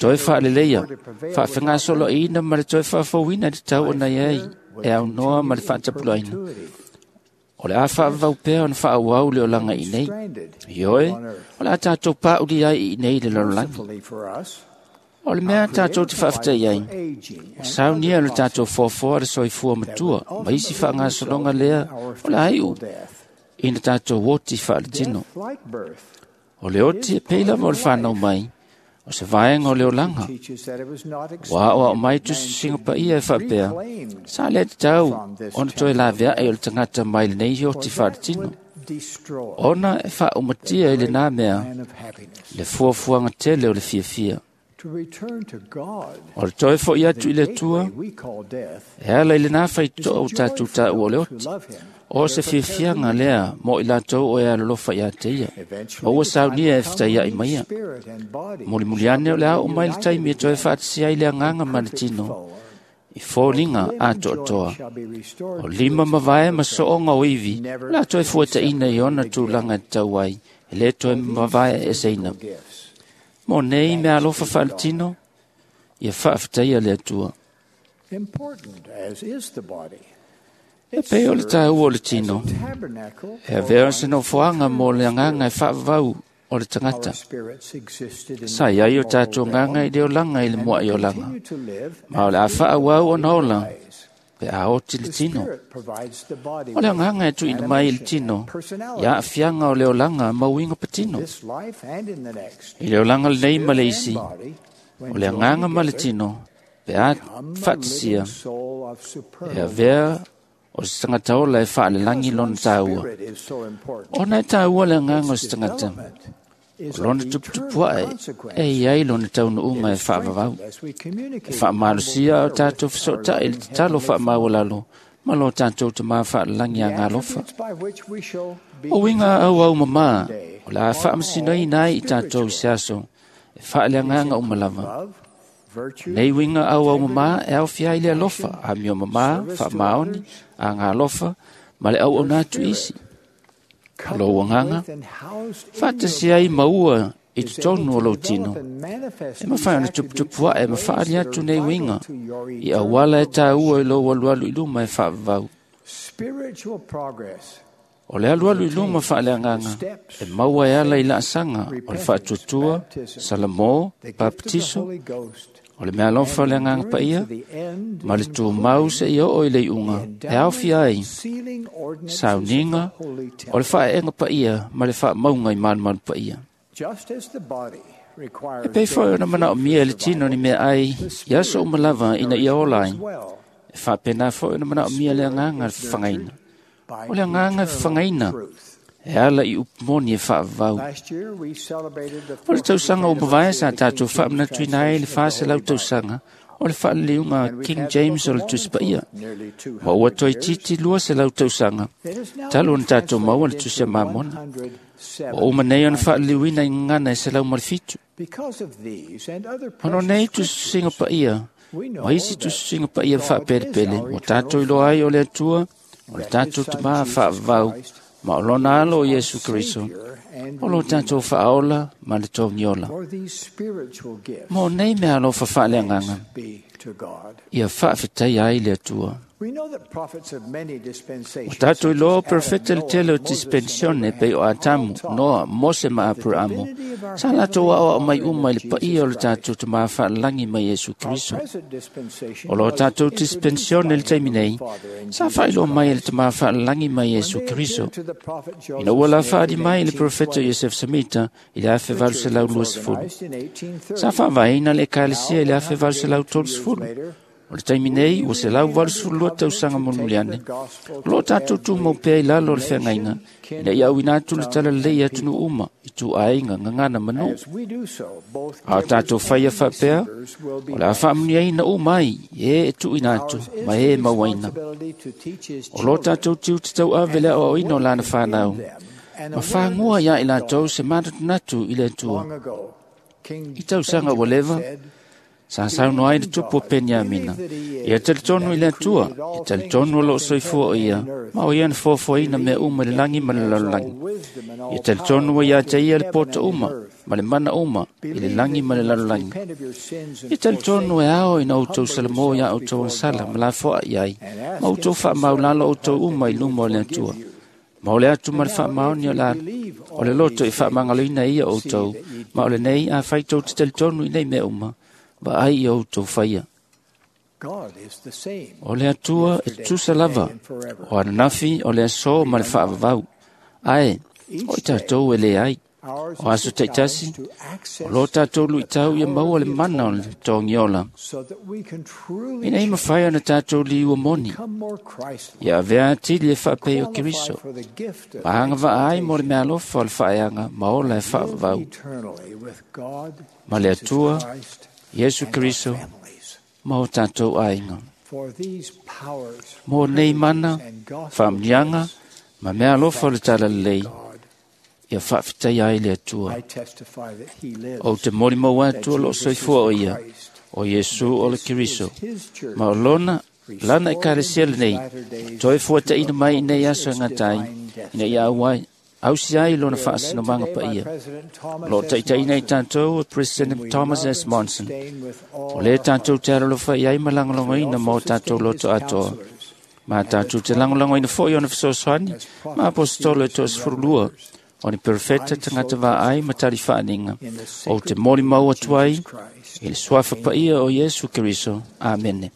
toe faaleleia, faafegasoloaiina ma le toe faafouina i le tau ona i ai e aunoa ma le faatapulaaina. O le a faavavau pea ona faaauau le olaga i inei. Ioe, o le a tatou pauli ai i inei i le lalolagi. O le mea tatou te faafetai ai, o saunia le tatou foafoa le soifua matua ma isi faagasologa lea o le a iu ina tatou oti faaletino. O le oti e pei lava o le fanau mai, o se vaega o le olaga. Ua aoao mai tusitusiga paia e faapea, sa le tatau ona toe laveai o le tagata mai lenei oti faaletino, ona e faaumatia i lenā mea le fuafuaga tele o le fiafia. O le toe fo'i atu i le Atua, e ala i lenā faitotoa ua tatou taua o le oti, o se fiafiaga lea mo i latou o e alolofa ia te ia, ma ua saunia e fetaiai maia. Mulimuli ane o le a oo mai le taimi e toe faatasia ai le agaga ma le tino, i foliga atoatoa. O lima mavae ma sooga o ivi, o le a toe fuataina i ona tulaga e tatau ai, e le toe mavae eseina. Mo nei mea alofa faaletino, ia faafetaia le Atua. E pei o le taua o le tino, e avea o se nofoaga mo le agaga e faavavau o le tagata. Sa i ai o tatou agaga i le olaga i le muai olaga, ma o le a faaauau ona ola pe a oti le tino. O le agaga e tuuina mai i le tino, i aafiaga o le olaga ma uiga patino. I le olaga lenei ma le isi, o le agaga ma le tino, pe a faatasia, e avea o se tagata ola e faalelagi lona taua. Ona e taua le agaga o se tagata, o lona tuputupuae e i ai lona taunuuga e faavavau. E faamalosia o tatou fesootai i le tatalo faamaualalo ma lo tatou tamā faalelagi agalofa. O uiga auau mamā, o le a faamasinoina ai i tatou i se aso, e faaleagaga uma lava. Nei uiga auau mamā e aofia ai le alofa, amio mamā, faamaoni, agalofa, ma le auauna atu isi. O lou agaga, faatasi ai maua i totonu o lou tino, e mafai ona tuputupuae ma faali atu nei uiga i auala e taua i lou alualu i luma e faavavau. O le alualu i luma faaleagaga e maua e ala i laasaga o le faatuatua, salamo, papatiso, o le mea alofa o le agaga paia, ma le tumau seia oo i le iuga e aofia ai sauniga o le faaeega paia ma le faamauga i malumalu paia. E pei foi ona manaomia e le tino ni mea ai i aso uma lava ina ia ola ai, e faapena foi ona manaomia le agaga le fafagaina. O le agaga e fafagaina e ala i upu moni e faavavau. O le tausaga ua mavae sa tatou faamanatuina ai le faselau tausaga o le faaliliuga King James o le Tusi Paia, ma ua toeitiiti lua selau tausaga talu ona tatou maua le Tusi a Mamona. Ua uma nei ona faaliliuina i gagana e selau ma le fitu. Ona o nei tusitusiga paia ma isi tusitusiga paia faapelepele ua tatou iloa ai o le Atua, o le tatou tamā faavavau, ma o lona alo o Iesu Keriso, o lo tatou faaola ma le togiola. Mo nei mea alofa faaleagaga, ia faafetaia ai le Atua. O tatou iloa o profeta le tele o dispensione pei o Atamu, Noa, Mose ma Aperaamo, sa latou aoao mai uma i le paia o le tatou tamā faalelagi mai Iesu Keriso. O lo tatou dispensione i le taimi nei, sa faailoa mai e le tamā faalelagi mai Iesu Keriso. Ina ua la faali mai i le profeta Iosef Samita i le afe valu selau luasefulu. Sa faavaeina le ekalesia i le afe valu selau tolusefulu. O le taimi nei, ua selau valusefulu lua tausaga mulimuli ane, o loo tatou tumau pea i lalo o le feagaiga, ina ia auina atu le talalelei i atunuu uma, i tuaiga, gagana ma nuu. A o tatou faia faapea, o le a faamuniaina uma ai, e e tuuina atu, ma e e mauaina. O lo tatou tiute tauave le aoaoina o lana fanau, ma fagua ia i latou se manatunatu i le Atua. I tausaga ua leva, Sa saunoa ai le tupu o Peniamina, ia talitonu i le Atua, ia talitonu o loo soifua o ia, ma o ia na foafoaina mea uma i le lagi ma le lalolagi. Ia talitonu ua ia te ia le poto uma, ma le mana uma, i le lagi ma le lalolagi. Ia talitonu e ao ina outou salamo ia outou sala ma lafoa i ai, ma outou faamaulalo outou uma i luma o le Atua. Ma o le atu ma le faamaoni o la o le loto i faamagaloina ia outou, ma o lenei a fai tou te talitonu i nei mea uma, vaai i outou faia. O le Atua e tutusa lava, o ananafi o le aso ma le faavavau, ae o i tatou e leai. O aso taitasi, o lo tatou luitau ia maua le mana o le togiola. Ina ia mafai ona tatou liua moni, ia avea atili e faapei o Keriso, ma agavaa ai mo le meaalofa o le faaeaga ma ola e faavavau. Ma le Atua, Iesu Keriso, ma o tatou aiga. Mo nei mana, faamuniaga, ma meaalofa o le talalelei, ia faafetai ai le Atua. Ou te molimau atu o loo soifua o ia, o Iesu o le Keriso, ma o lona lana ekalesia lenei, toe fuataina mai i nei aso e gata ai, ina ia auai, ausi ai lona faasinomaga paia. O loo taitaina i tatou e President Thomas S. Monson, o lea tatou te alolofa i ai ma lagolagoina ma o tatou loto atoa. Ma tatou te lagolagoina foi ona fesoasoani ma aposetolo e toasefululua, o ni perfeta tagata vaai ma talifaaniga, ou te molimau atu ai i le suafa paia o Iesu Keriso. Amene.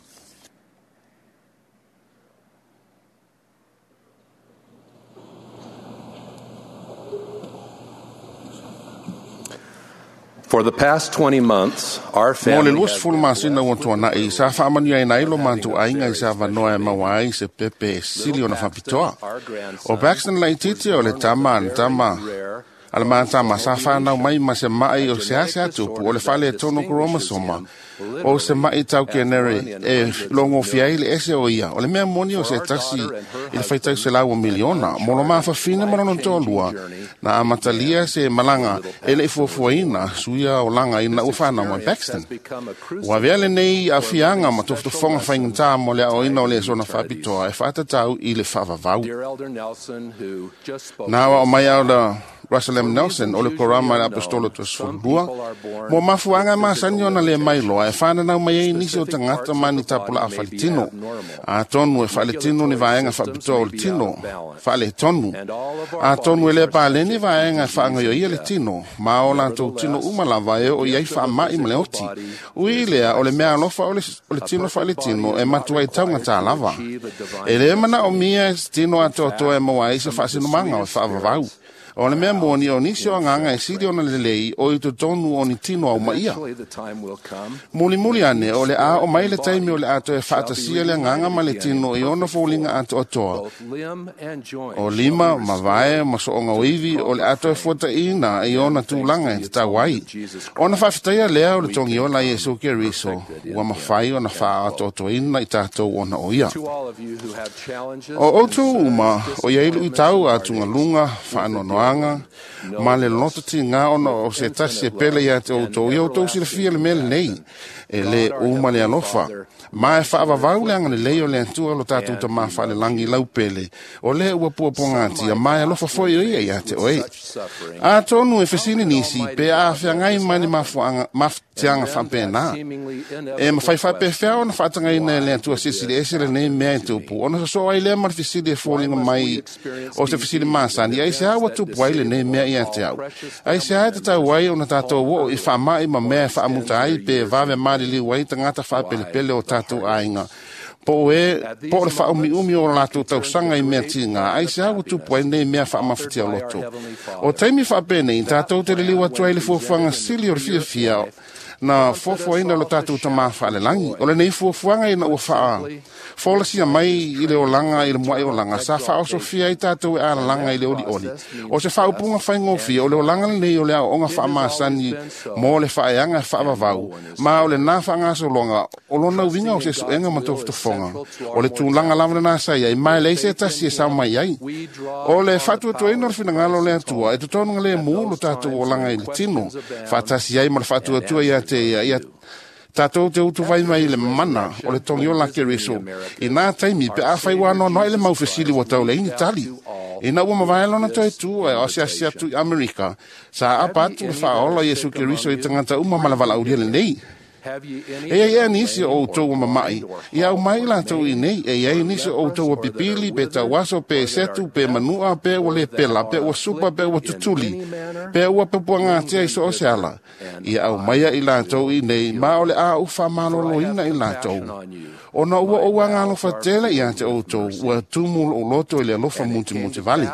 For the past twenty months, our Mo le family lua has sefulu masina ua tuana'i sa faamanuiaina ai lo matou aiga i se avanoa e maua ai se pepe e sili ona faapitoa. O Paxton laitiiti o le tama a le tama a le matama sa whanau mai ma se mai o se ase atupu o le whale tono kromosoma o se mai tau kenere e longo fiai le ese o ia o le mea moni o se tasi i le whaitau se lau o miliona molo mawhawhina manono tōlua na amatalia se malanga e le ifuafuaina suia o langa ina ua whanau mai Paxton. Ua vea lenei a fianga ma tofutofonga whaingata mo le aoina o le sona whapitoa e whaatatau i le whaavavau. Dear Elder Nelson, who just spoke Nā wa o mai au la Russell M. Nelson o le korama le apostolo toasefululua, mo mafuanga masani ona le mailoa e whananau mai ai nisi o tagata ma ni tapula a faletino. A tonu e faletino ni vaenga faapitoa o le tino, faaletonu. A tonu e le paleni vaenga e faagaioia le tino, ma o latou tino uma lava e oo i ai faama'i ma le oti. Ui lea o le mea alofa o le, o le tino faaletino e matua i taugata lava. E lē manaomia e se tino atoatoa e maua ai se faasinomaga o e faavavau. O le mea moni o nisi o agaga e sili ona lelei o i totonu o ni tino au maia. Eventually the time will come Mulimuli ane o le a o mai le taimi o le atoa e faatasia le agaga ma le tino i ona foliga atoatoa. both limb and joint O lima, mavae, ma soonga o iwi o le atoa e fuataina i ona tulaga e tatau ai. Ona faafetaia lea o le togiola Iesu Keriso, ua mafai ona faaatoatoaina i tatou ona o ia. To all of you who have challenges, O outou uma, o iai luitau a tugaluga, faanoanoaga, ma le loto tiga ona o se tasi e pele ia te outou, ia outou silafia le mea lenei, e lē uma le alofa. Ma e faavavau le agalelei o le Atua lo tatou tamā faalelangi laupele, o lea ua puapuagatia, ma e alofa foi o ia ia te oe. Atonu e fesili nisi, pe a feagai mai ni mafuaga, mafutiaga faapena. E mafai faapefea ona faatagaina e le Atua silisili ese lenei mea e tupu, ona sosoo ai lea ma le fesili e foliga mai o se fesili masani, ai se a ua tupu ai lenei mea ia te au. Ai se a e tatau ai ona tatou oo i faama'i ma mea e faamuta ai pe vave maliliu ai tagata faapelepele o tatou aiga. Po e, po o le faaumiumi o latou tausaga i mea tiga, ai se a ua tupu ai nei mea faamafatia loto. O taimi faapenei, tatou te liliu atu ai le fuafuaga sili o le fiafia na fuafuaina lo tatou tamā faalelagi. O lenei fuafuaga ina ua faa folasia mai i le olaga i le mua'i olaga, sa faaosofia ai tatou e alalaga i le olioli. O se faaupuga faigofie, o le olaga lenei o le aoaoga faamasani mo le faaeaga e faavavau, ma o lenā faagasologa o lona uiga o se suega ma tofotofoga. O le tulaga lava lenā sa iai, ma e leai se tasi e sao mai ai. O le faatuatuaina o le finagalo o le Atua, e totonu galemu lo tatou olaga i le tino, faatasi ai ma le faatuatua ia te ia, ia Tātou te utu vai mai le mana o le togiola Keriso. I nā taimi pe a whai wānoa i le maufesili wa tau le ini tali. Ina ua mavae lona toe tu e o asiasi atu i Amerika. Sa apa atu le whaola Iesu Keriso i tangata uma ma le valauria lenei. E ai ea nisi o outou mamai, i au mai latou i nei, e ai nisi o outou pipili, pe tauaso, pe setu, pe manua, pe ua le pela, pe ua supa, pe ua tutuli, pe ua pepuangatia i so o se ala. I au maia i latou i nei, ma o le a uwha maloloina i latou. Ona ua o ua ngalofa tele ia te outou, ua tumu o loto i le alofa muti muti vali.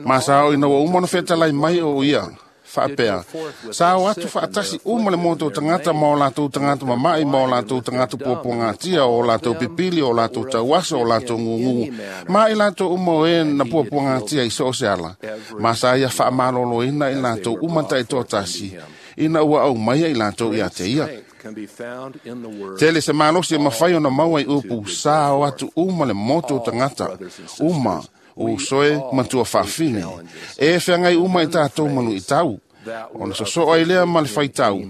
Ma sao ina ua uma na whetalai mai o ia, whaapea. Sa o atu whaatasi uma le moto tangata ma o latou tangata mamai, ma o latou tangata puapuangatia, o latou pipili, o latou tauaso, o latou ngungu. Ma i latou uma o e na puapuangatia i so o se ala. Ma sa ia whaamaloloina i latou uma tai tōtasi, ina ua au maia i latou ia te ia. Tele se malosi e mawhai o na maua i upu, sa o atu uma le moto tangata, uma o soe matua whaafine. E whangai uma i tātou manu i tau. Ona sosoa i lea ma le whaitau.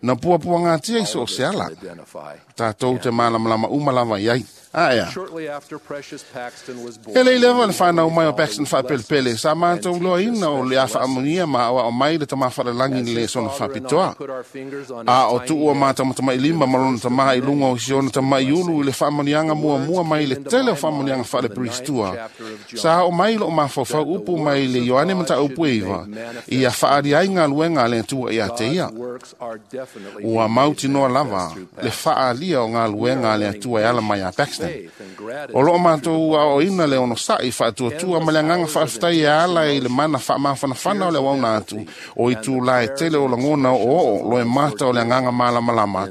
Na puapuangatia i so o se ala. Tātou te malamalama uma lava i ai. Aea. E lei lewa le whanau mai o Paxton whapelepele, sa mātou loa ina o le a whaamunia ma awa o mai le tama wharalangi ni le sona whapitoa. A o tuua mātama i lima malona tama i lunga o siona tama i ulu i le whaamunianga mua mua mai le tele o whaamunianga whaale peristua. Sa o mai lo o mawhawhau upu mai le Ioane mata upu e iwa, i a whaari ai ngā luenga le atua i a te ia. Ua mautinoa lava le whaalia o ngā luenga le atua e ala mai a Paxton. O loo mātou a o ina le ono sa'i whaatuatua ma le anganga whaaftai e ala i le mana whaamawhanawhana o le wauna atu o i tū lae tele o langona o oo lo e mata o le anganga malamalama.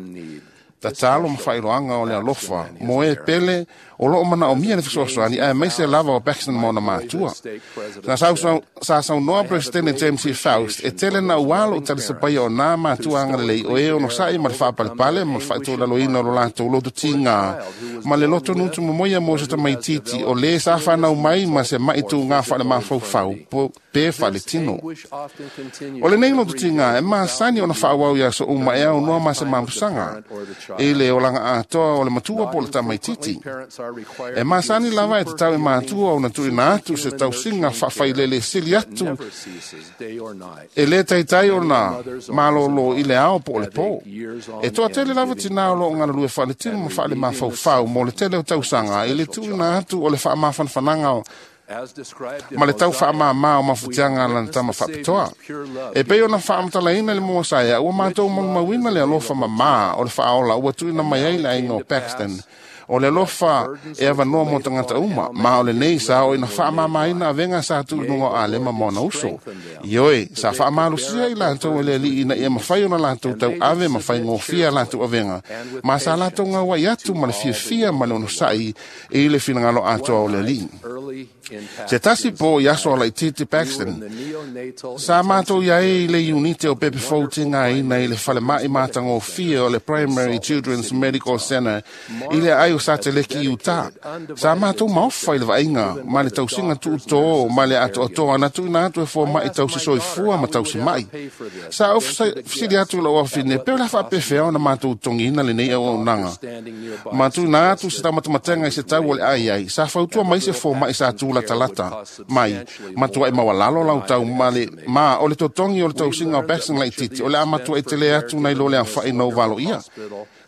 Tatalo ma whailoanga o le alofa mo e pele o loo mana o mia le fesoasoani ae maise lava o Paxton ma ona mātua. Sa sau sa saunoa Presidente James C. Faust e tele na ualo o talisapaia o nā mātua angalelei o e ono sa'i ma le whaapalepale ma le whaitolaloina o lo latou loto tīngā ma le loto nutu momoia mo se tamaititi o le sa whanau mai ma se maitu ngā whaale mafaufau pe whaale tino. O le nei loto tīngā e maasani ona whaawau ia so uma e au noa ma se mampusanga e le olanga atoa o le matua po le tamaititi. E masani lava e te tau e mātua o na tuina atu se tausinga whawhailele sili atu e le taitai o na malolo i le ao po o le pō. E toa tele lava tina o lo o ngana lue whaale tino ma whaale mafaufau mo le tele o tausanga e le tuina atu o le whaamafanfananga o ma le tau whaamāmā o mafutianga lana tama whapitoa. E pei ona whaamatalaina le mua saia, ua mātou manumauina le alofa mamā o le whaaola ua tuina mai ai le ainga o Paxton. O le alofa e awanoa mo tangata uma, ma o le nei sa o ina whaamāmāina awenga sa tu nunga o alema mona uso. Ioi, sa whaamalusia i lātou e le li ina ia mawhai ona lātou tau ave mawhai ngōfia lātou awenga. Ma sa lātou ngā wai atu ma le fiafia ma le ono sai e le finangalo atoa o le li. Se tasi po i aso ala i Titi Paxton, sa mātou ia e le unite o Pepe Fou ngā ina i le whalemai mātangōfia o le Primary Children's Medical Center i le ai o Sateleki i Utah. Sa mātou maofa i le vainga, ma le tausinga tuutō, ma le atoatoa na tuina atu e fō mai tausi soifua ma tausi mai. Sa o fisili atu lau awhine, peo la whaapewhea na mātou tongina le nei au aunanga. Ma tuina atu se tamatamatenga i se tau o le ai ai, sa fautua mai se fō mai sa tū lata mai matua e mawalalo lau tau male ma o le totongi o le tausinga o Paxton laititi o le a matua e tele atu nei lo le awhai nau valo ia.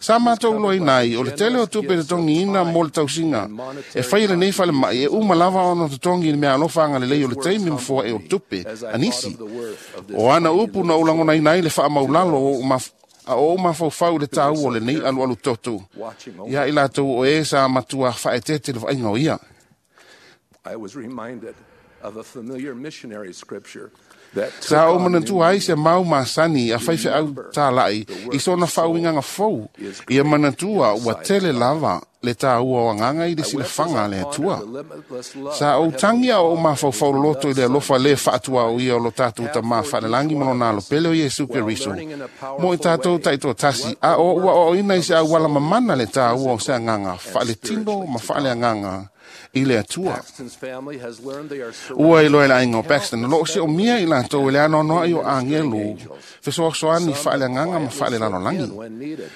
Sa mātou loa inai o le tele o tupe totongi ina mo le tausinga e whai le nei whale mai e uma lava ona totongi i mea alofa anga le lei o le teimi mfoa e o tupe anisi. O ana upu na ulangona inai le wha maulalo o ma a o mafaufau le tau o le nei alu alu toto. Ia i latou o e sa matua whaetete le whainga o ia. I was reminded of a familiar missionary scripture that Sa o manantua ai se mau masani a whaiwhe au tālai i sona whauinganga fou. Ia manantua ua tele lava le tāua o anganga i le silafaga a le Atua. Sa ou tagi a ou mafaufau loloto i le alofa lē faatua o ia o lo tatou Tamā faalelagi ma lona alopele o Iesu Keriso mo i tatou taitoatasi, a o ua aoaoina i se auala mamana le tāua o se agaga faaletino ma faaleagaga i le Atua. Ua iloa e le aiga o Paxton o loo siomia i latou e le anoanoai o agelu fesoasoani faaleagaga ma faalelalolagi.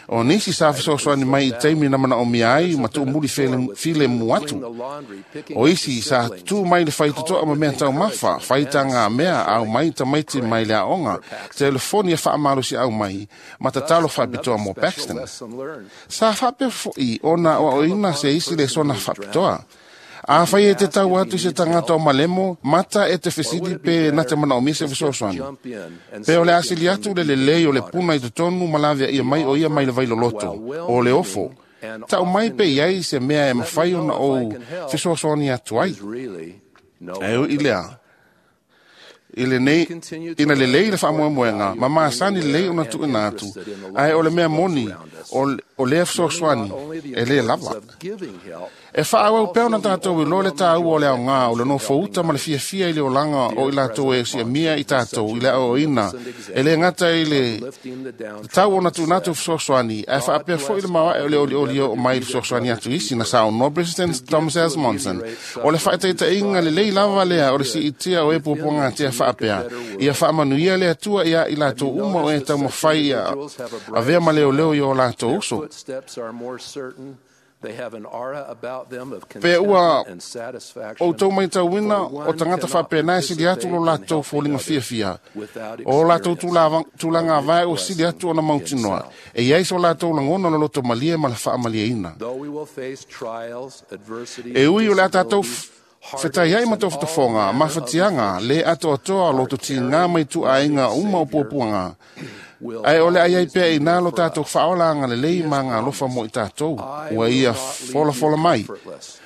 O nisi sa fesoasoani mai i taimi na manaomia ai ma tuumuli filemu atu. O isi sa tutū mai le faitotoa ma mea taumafa, faitaga mea au mai tamaiti mai le aoga, telefoni e faamalosiau mai ma tatalo faapitoa mo Paxton. Sa faapea foʻi ona aoaoina se isi lesona faapitoa. A fai e te tau atu i se tagata o malemo, mata e te fesili pe na te manaomia se fesoasoani. Pe o le asili atu le lelei o le puna i totonu ma laveaia mai o ia mai le vailoloto, o le ofo. Tau mai pe iai se mea e mafai ona ou fesoasoani atu ai. Ae ui lea, i lenei, ina lelei le faamoemoega, ma masani lelei ona tuuina atu, ae o le mea moni, o, o lea fesoasoani, e lē lava. E faaauau pea ona tatou iloa le tāua o le aogā o le nofouta ma le fiafia i le olaga o i latou e siamia i tatou i le aoaoina, e lē gata i le tatau ona tuuina atu fesoasoani, ae faapea foʻi le maoae o le olioli oo mai le fesoasoani atu isi na saunoa President Thomas S. Monson. O le faataitaiga lelei lava lea o le siitia o e puapuagatia faapea, ia faamanuia le Atua ia i latou uma o e taumafai ia avea ma leoleo i o latou uso. Pe ua outou maitauina o tagata faapena e sili atu lo latou foliga fiafia, o latou tulaga avae ua sili atu ona mautinoa, e iai so latou lagona o le loto malie ma le faamalieina. E ui o le a tatou fetai ai ma tofotofoga, mafatiaga, lē atoatoa o loto tigā mai tuaaiga uma o puapuaga, ae o le aiai pea inā lo tatou faaola agalelei ma agalofa mo i tatou, ua ia folafola mai.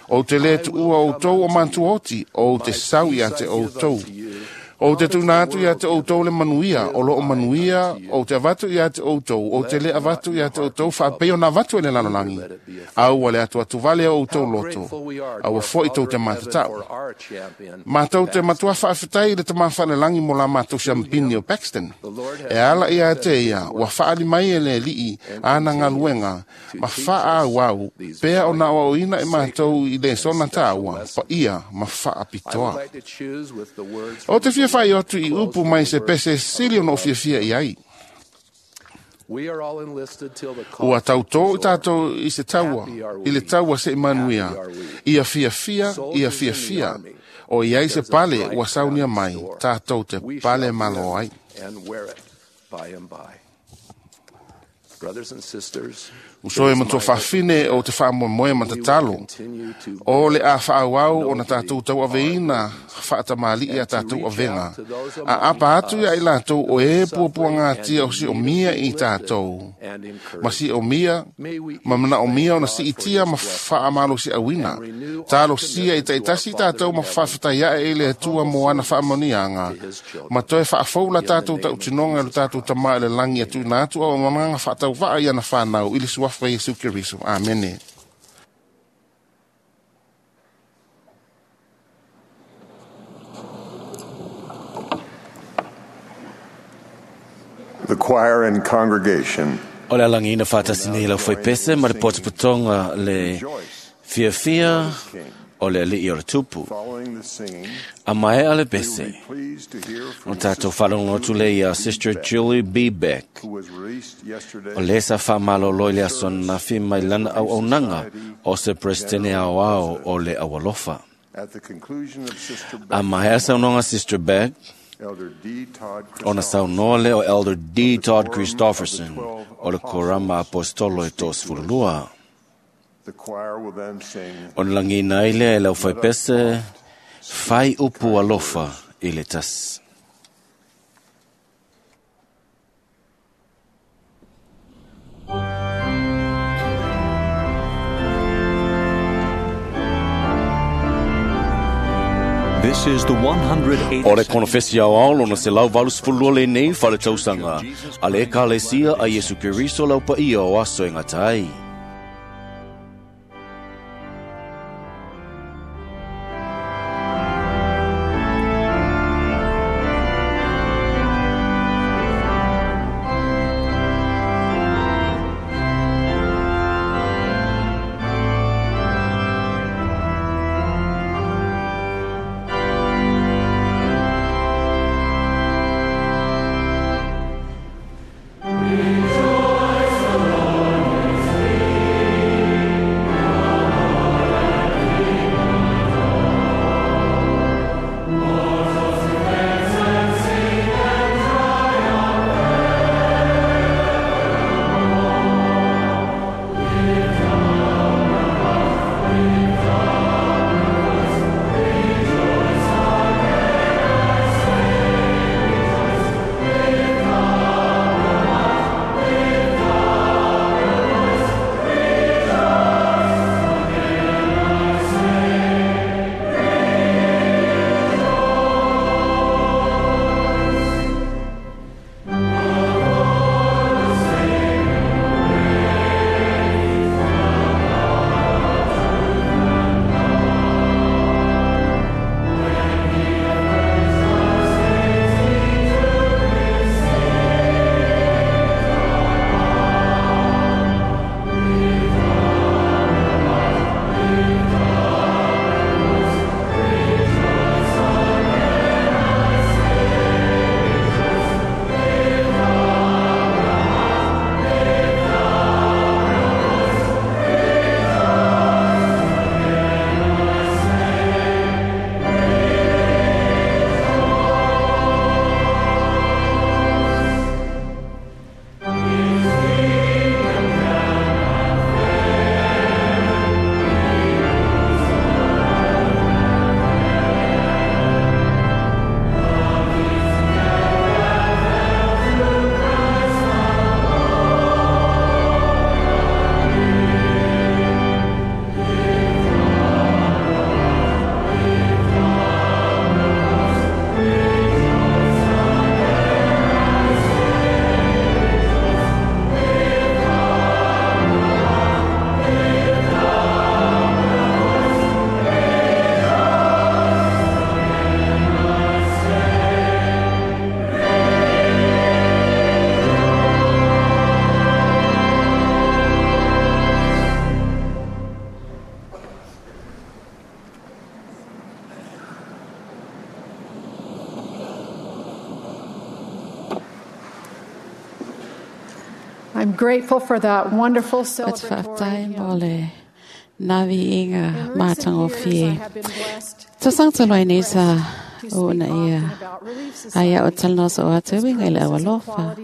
Ou te lē tuua outou o matua oti, ou te sau ia te outou. Ou te tuuina atu ia te outou le manuia, o loo manuia, ou te avatu ia te outou, ou te lē avatu ia te outou faapei ona avatu e le lalolagi. A ua le atuatuvale o outou loto, a ua foʻi tou te matatau. Matou te matua faafetai i le Tamā faalelagi mo la matou siampini o Paxton. E ala ia te ia, ua faali mai e le Alii ana galuega, ma faaauau pea ona aoaoina e matou i lesona tāua, paia ma faapitoa. Ou te fia fai atu i upu mai se pese sili ona ou fiafia i ai. Ua tautō i tatou i se taua, i le taua se i manuia, ia fiafia, ia fiafia, o iai se pale ua saunia mai, tatou te pale malo ai. Uso e matua faafine o te faamoemoe ma tatalo, o le a faaauau ona tatou tauaveina faatamalii a tatou avega, a apa atu ia i latou o e puapuagatia o siomia i tatou, ma siomia ma manaomia ona siitia ma faamalosiauina. Talosia i taitasi tatou ma faafetai ae i le Atua mo ana faamanuiaga, ma toe faafou la tatou tautinoga i lo tatou Tamā i le lagi e tuuina atu auaunaga faatauvaa i ana fanau i le suafa Iesu Keriso. Amene. The choir and congregation. O le alagina faatasi nei lau faipese ma le potopotoga le fiafia o le alii o le tupu. A maea le pese, o tatou faalogo atu le ia Sister Julie B. Beck, o le sa faamalolo i le aso ananafi mai lana auaunaga o se Presidente aoao o le Aualofa. A maea saunoaga Sister Beck, ona saunoa lea o Elder D. Todd Christofferson o le Korama Apostolo e toasefululua. Ona lagina ai lea e lau faipese, fai upu alofa i le tasi. This is the one hundred eighty O le konofesi ao lona se lau valu sefululua lenei faletausaga a le Ekalesia a Iesu Keriso lau paia o aso e gata ai. I'm grateful for that wonderful celebratory hymn. Navi inga mātangofie. Tau talo nei sa o na ia. Aia o talanoa o atu winga i le awalofa.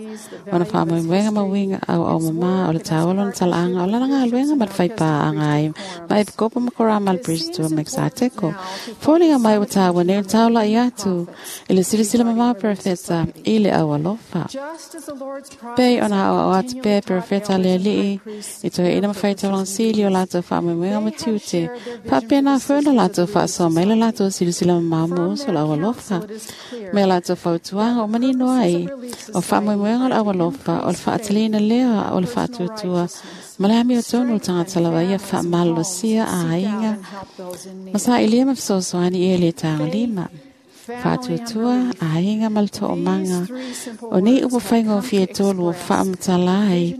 Ona whaamoemoega ma winga au au mama o le taualo na talaanga o lana ngā ma le whaipā anga ai. Ma e pikopa ma kora ma le Bristol ma Exateko. Fōlinga mai o tāua nei o taula i atu. I le silasila mama perfeta i le awalofa. Pei ona au au atu pē perfeta le alii. I toe ina mawhai taulanga sili o lātou whaamoemoega ma tiute. Whaapena whaona lātou whaasoa mai le lātou silasila mama mo uso la awalofa. Me lātou whautuanga o manino ai. O whaamoemoega o le awalofa o le whaatalina lea o le whaatuatua. Ma le ami o tonu o tangata lawa ia whaamalolosia a ainga. Masa ilia mawhisosoani e le tānga lima. Whaatuatua a ainga ma le to'omanga. O nei upo whainga o fie tolu o whaamatala ai.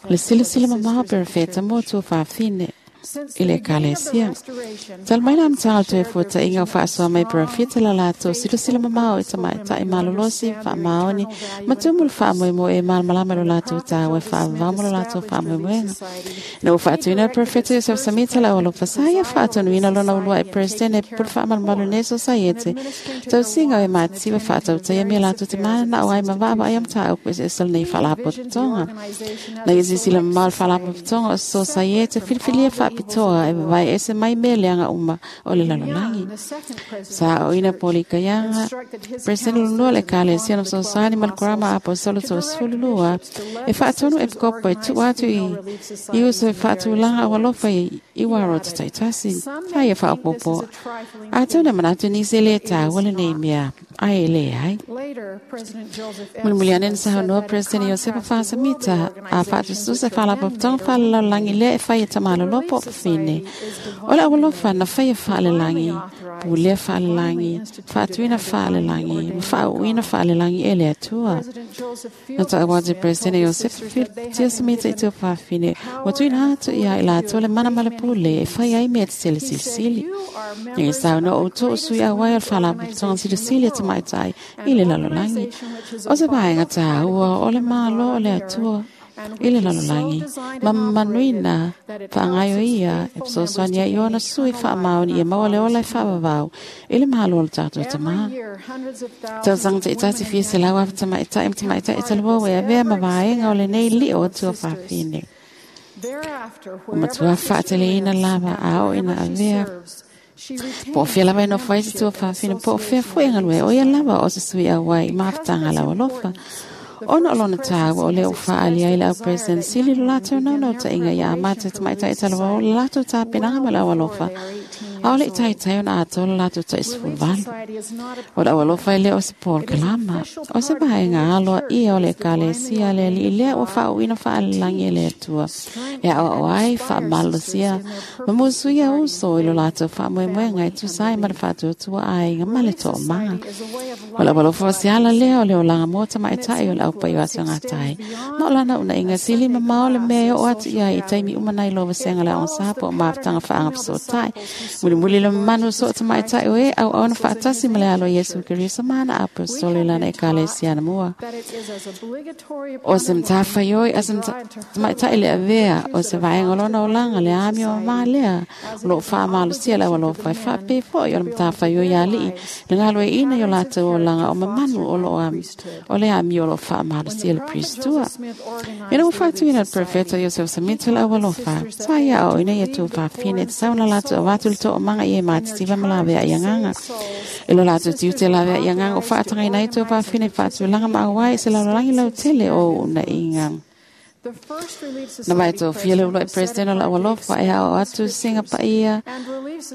Le silasila mamao perefeta mō tua whaafine. I le ekalesia. Tal mai la mtanga toe fuata inga o whaasoa mai perafita la lato silasila mamao i tamaitai malolosi whaamaoni matumu le whaamoemo e malamalama lo lato tāua e whaavamo lo lato whaamoemoenga. Na o whaatuina le perafita Joseph Samita la olofa saia whaatonuina lona ulua e presidente pule whaamalamalu ne sosaiete. Tausinga o e mātiwa whaatautai me lato te mana na o ai mawaawa ai amtaa au kwese esel nei whaalapototonga. Na i sisila mamao le whaalapototonga o sosaiete filifilia whaapitoa e vai ese mai meleanga uma o le lalolagi. Sa o ina poli kaianga, presidente lulua le kale sia no sosani mal kurama apostolo to sululua e whaatonu e pikopo e tu atu i i uso e whaatulanga o alofa i i waro te taitasi. Ai e whaopopo. Atu na manatu ni se le tā wale nei mea. Ai le ai. Mulimuliane na sahonoa President Iosepa Whasamita a whaatususa whalapapatanga whalalalangi lea e whai e tamalolopo fine. O le awalofa na whai e whaalelangi, pulea whaalelangi, whaatuina whaalelangi, ma whaauina whaalelangi e le atua. Na ta awate President Iosef Tia Samita i tua whaafine, wa tuina atu ia i la atua le mana male pule e whai ai mea te sele silisili. Ngai sao no o tō sui a wai o le whalapapatanga silisili e tamaitai i le lalolagi. O se vaenga tāua o le malo o le atua i le lalolagi. Ma manuina whaangaio ia e psosoani ai ona sui whaamaoni e maua le ola e whaavavau i le mahalo o le tātou tamā. Tau te itati fia se lau afa tamaitai ma tamaitai talua e avea ma vaenga o le nei li o atua whaafine. O matua whaateleina lava a o ina avea. Po fia lava e no whai te tua whaafine, po fia fue ngalue o ia lava o se sui a wai maafutanga lawa lofa. Ona o lona tāua o leo whaali ai lau president sili lo lātou nau nau ta inga ia amata te maitai talawa o le lātou tāpenanga ma lau alofa. A o le i taitai ona atoa le lātou ta isfulvalu. O le awalofa i leo se Paul Kalama. O se vaenga aloa ia o le ekalesia le ali i lea ua whaauina whaalilangi e le atua. E au au ai whaamalosia. Ma musuia uso i lo lātou whaamoemoenga e tusai ma le whaatuatua ai ngā male tō manga. O le awalofa o se ala lea o le olanga mō tamaitai o le aupai o aso ngā tai. Ma o lana una inga sili ma mao le mea o atu ia i taimi umanai lo wasenga le onsapo o maafutanga whaanga pasotai. Muli muli le manu so tamaitai o e au au na whaatasi ma le alo Yesu Keriso mana apostolo i lana ekalesia na mua. O se mtawhai oi a se tamaitai le avea o se vaenga lona o langa le ami o maa lea. O loo whaamalosia le awalofa e whaapē foi o le mtawhai oi alii. Le ngalo e ina i o lātou o langa o mamanu o loo ami. O le ami o loo whaamalosia le pristua. Ina ua whaatuina le profeta Joseph Samita le awalofa. Sa ia o ina ia tū whaafine te sauna lātou o wātu le tō o manga i e mātitiwa ma lawea i anganga. E lo lātou tiute lawea i anganga o whaatanga ina i tō whaafine whaatulanga ma awai se lalolagi lau tele o una inga. Na mai tō fia le ulua e president o le awalofa e hao atu singa paia.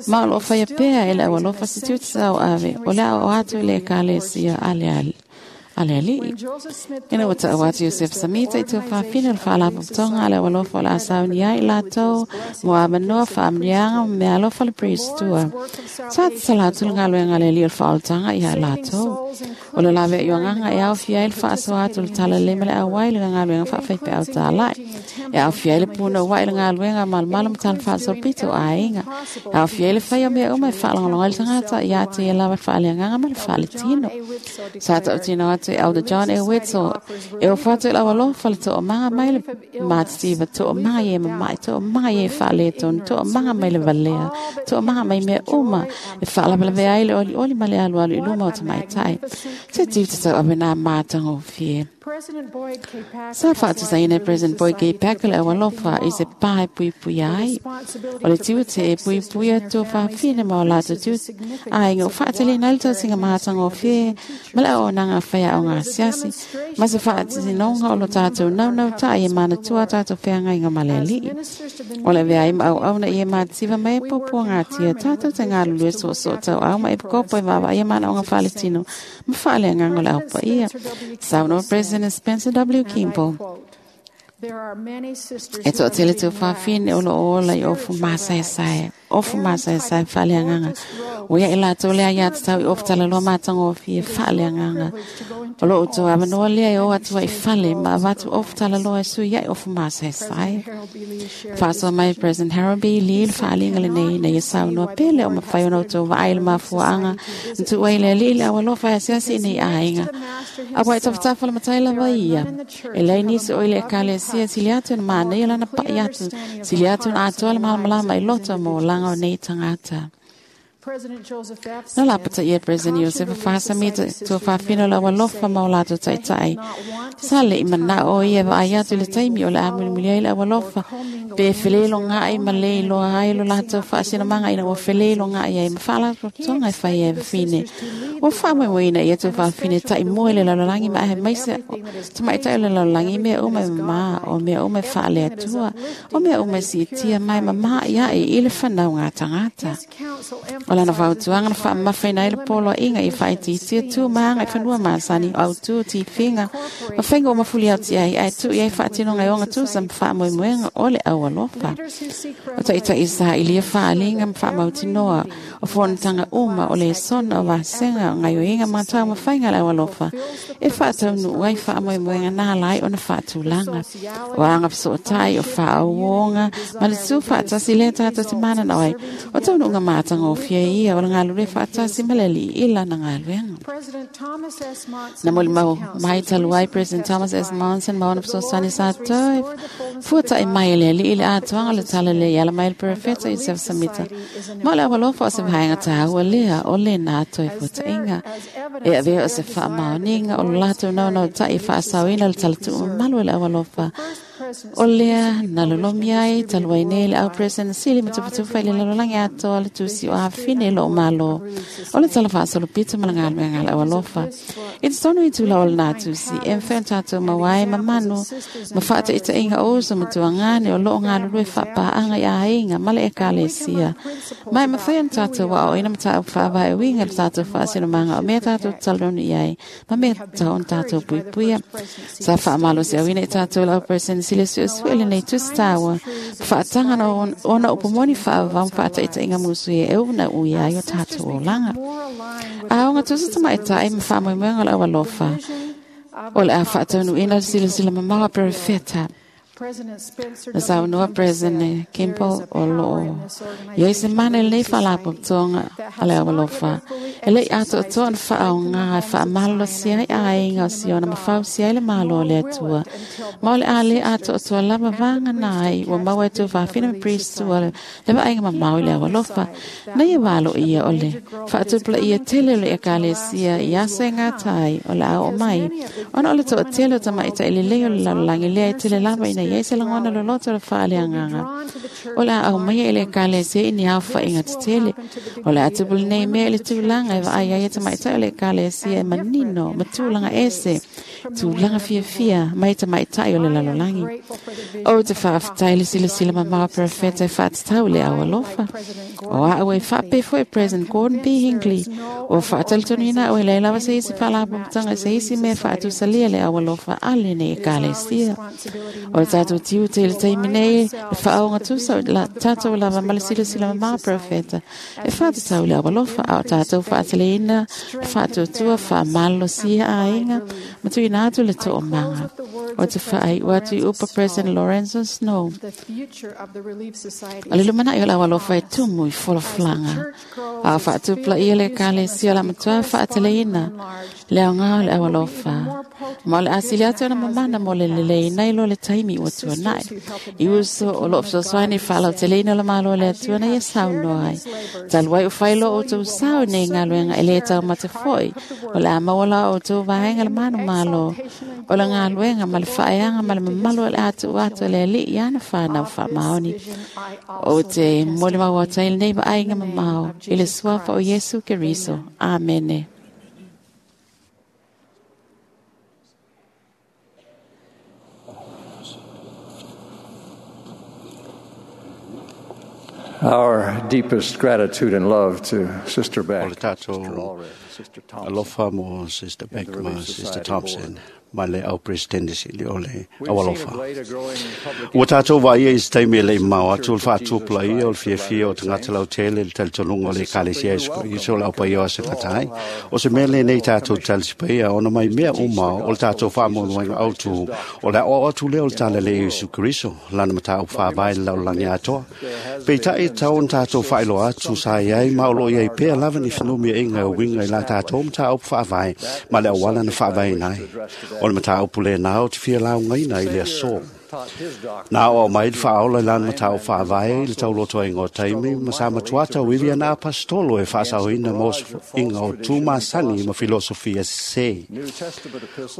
Ma o loo whaia pea e le awalofa si tiute sa o ave. O le ao atu i le ekalesia ale ale. Ale alii. Ina ua ta'au atu Joseph Samita i tua whaafine o le whaalapapatoga ale awalofa o le asauni ai lātou mo amanoa whaamnianga ma mea alofa le priestua. Sa te sala atu le galuega le alii o le whaolataga ia lātou. O le lavea i o agaga e aofia ai le faasoa atu le tala le ma le auai le galuega faafaipeau tāla'i. E aofia ai le punoua'i le galuega malomalo ma tala faasolopito o aiga. E aofia ai le faia o mea uma e faalogologo ai le tagata ia te ia lava le faaleagaga ma le faaletino. Sa tautino atu e Elder John A. Wetzel e ofa atu i le aualofa le toomaga mai le matitiva, toomaga i e mama'i, toomaga i e faaletonu, toomaga mai le valea, toomaga mai mea uma e faalavelavea ai le olioli ma le alualu i luma o tamaitai. Se tiu te tauave nā mātagofie. Sa faatusaina e President Boyd K. Packer le aualofa i se pā e puipuia ai. O le tiute e puipuia tuafafine ma o latou tiute aiga o faateleina ai le tausiga matagofie ma le auaunaga faiaoga asiasi ma se faatinoga o lo tatou naunautai e manatua tatou feagaiga ma le alii. O le avea ai ma auauna ia mativa mai e puapuagatia tatou te galulue soosoo tauau ma epikopo e vaavaaia manaoga faaletino ma faaleagaga o le aupaia. Saunoa President Spencer W. Kimball. E toatele tuafafine o loo ola i ofu masaesae, ofu masaesae faaleagaga. Ua ia i latou le aiā tatau i ofu talaloa matagofie faaleagaga. O loo outou avanoa lea e o atu ai i fale ma avatu ofu talaloa e sui ai ofu masaesae. Faasoa mai President Harold B. Lee le faaliga lenei ina ia saunoa pele o mafai ona outou vaai le mafuaaga na tuu ai le alii le aualofa e asiasi i nei aiga. Auā e tafatafa le matai lava ia. E leai nisi o i le ekalesia sili atu na manaia lana pa'i atu, sili atu na atoa le malamalama i loto mo olaga o nei tagata. Na lapata ia President Iosefa Fasamita tuafafine o le aualofa ma o latou ta'ita'i. Sa le'i mana'o o ia vaai atu i le taimi o le a mulimuli ai le aualofa pe feleiloga'i ma lē iloa ai lo latou faasinamaga ina ua feleiloga'i ai ma faalapotopotoga e fai ai fafine. Ua faamoemoeina ia tuafafine ta'imua i le lalolagi ma aemaise tamaita'i o le lalolagi i mea uma e mamā, o mea uma e faaleatua, o mea uma e siitia mai mama'i a'i i le fanauga tagata. O lana fautuaga na faamamafaina ai le poloaiga i faaitiitia tu ma aga i fanua masani o autū tifiga ma faiga ua mafuliauti ai ae tuu i ai faatinoga e ogatusa ma faamoemoega o le aualofa. O ta'ita'i sa'ilia faaliga ma faamautinoa o fonotaga uma o lesona o vasega o gaioiga ma taumafaiga a le aualofa e faataunuu ai faamoemoega na ala ai ona faatulaga. O aga fesootai o faauoga ma le tu faatasi lea tatou te mananao ai o taunuuga matagofie ia o le galulue faatasi ma le alii i lana galuega. Na molimau mai talu ai President Thomas S. Monson ma ona fesoasoani sa toe fuata'i mai e le alii le atoaga o le tala lea i ala mai le perofeta Iosef Samita. Ma o le aualofa o se vaega tāua lea o lena toe fuata'iga. E avea o se faamaoniga o lo latou naunautai e faasaoina le talatuu mamalu e le aualofa. O lea na lolomi ai talu ai nei le au President Sili ma tufatufa i le lalolagi atoa le tusi o afine lo malo. O le tala faasolopito ma le galuega a le aualofa. I totonu i tula o lenā tusi, e mafai ona tatou maua ai mamanu ma faataʻitaʻiga o uso ma tuagane o loo galulue faapaaga i aiga ma le ekalesia. Ma e mafai ona tatou aoaoina mataupu faavae uiga i le tatou faasinomaga o mea tatou talonu i ai ma mea tatau ona tatou puipuia. Sa faamalosiauina i tatou le au President Sili suesue lenei tusi taua ma faataga ona upu moni faavavau ma faataʻitaʻiga musu e una ui ai o tatou olaga. A oga tusa tamaʻitaʻi ma faamoemoega o le aualofa o le a faataunuuina le silasila mamao a perofeta. Na saunoa President Kimball o loo iai se mana i lenei faalapotopotoga a le aualofa e leʻi atoatoa ona faaoga e faamalolosi ai aiga o Siona ma fausia ai le malo o le Atua. Ma o le a lē atoatoa lava vagana ai ua maua e tuafafine ma Priestua le vaaiga mamao i le aualofa. Na ia valoia o le faatupulaia tele o le ekalesia i aso e gata ai o le a oo mai ona o le toatele o tamaʻitaʻi lelei o le lalolagi lea e tele lava ina iai se lagona loloto o le faaleagaga. O le a aumaia i le ekalesia i ni aofaʻiga tetele. O le a tupu lenei mea i le tulaga e vaai ai e tamaʻitaʻi o le ekalesia e manino ma tulaga ese, tulaga fiafia mai tamaʻitaʻi o le lalolagi. O te faafetai le silasila mamao a perofeta e faatatau i le aualofa. O a'u e faapea foʻi President Gordon B. Hinckley ua faatalitonuina a'u e leai lava se isi faalapotopotoga i se isi mea e faatusalia le aualofa a lenei ekalesia. O le tatou tiute i le taimi nei le faaoga tusa o la tatou lava ma le silasila mamao a perofeta e faatatau i le aualofa a o tatou faateleina le faatuatua faamalolosia aiga ma tuuina atu le toomaga. O te whaai ua tu upa President Lorenzo Snow. O le lumana i o le aualofa e tumu i folafolaga. A o faatupulaia le Ekalesia o le amatua faateleina le aoga o le aualofa. Ma o le asili atu ona mamana mo le leleina i lo le taimi ua tuanai. I uso o loo fesoasoani faalauteleina o le Malo o le Atua na ia saunoa ai. Talu ai o fai lo outou sao i nei galuega e lē taumate fo'i o le a maua la outou vaega le manumalo o le galuega ma le faaeaga ma le mamalu o le a tuu atu e le Alii i ana fanau faamaoni. O te molimau atu ai lenei vaaiga mamao i le suafa o Iesu Keriso. Amene. Our deepest gratitude and love to Sister Beck, O le tātou alofa mo Sister Beck ma Sister Thompson ma le au presidente sili o le aualofa. Ua tātou vaia i se taimi e le mau atu o le faatupula ia o le fiafia o tagata lautele le talitonuga o le Ekalesia Iesu o le aupaia o ase gatai. O se mea lenei tātou talisipaia ona mai mea uma o le tātou faamoemoega autu o le aoao atu lea o le tala le Iesu Keriso lana mataupu faavae le lalolagi atoa. Peitai e tatau ona tātou faailoa atu sa i ai ma o loo i ai pea lava ni fenumiaiga e uiga i la tātou mataupu faavae ma le auala na faavaeina ai. O le mataupu lenā o te fia laugaina i le aso. Na o mai le faaola i lana mataupu faavae i le taulotoaiga o taimi ma sa matua tauivi ana apostolo e faasaoina ma osoiga o tumasani ma filosofia sesē.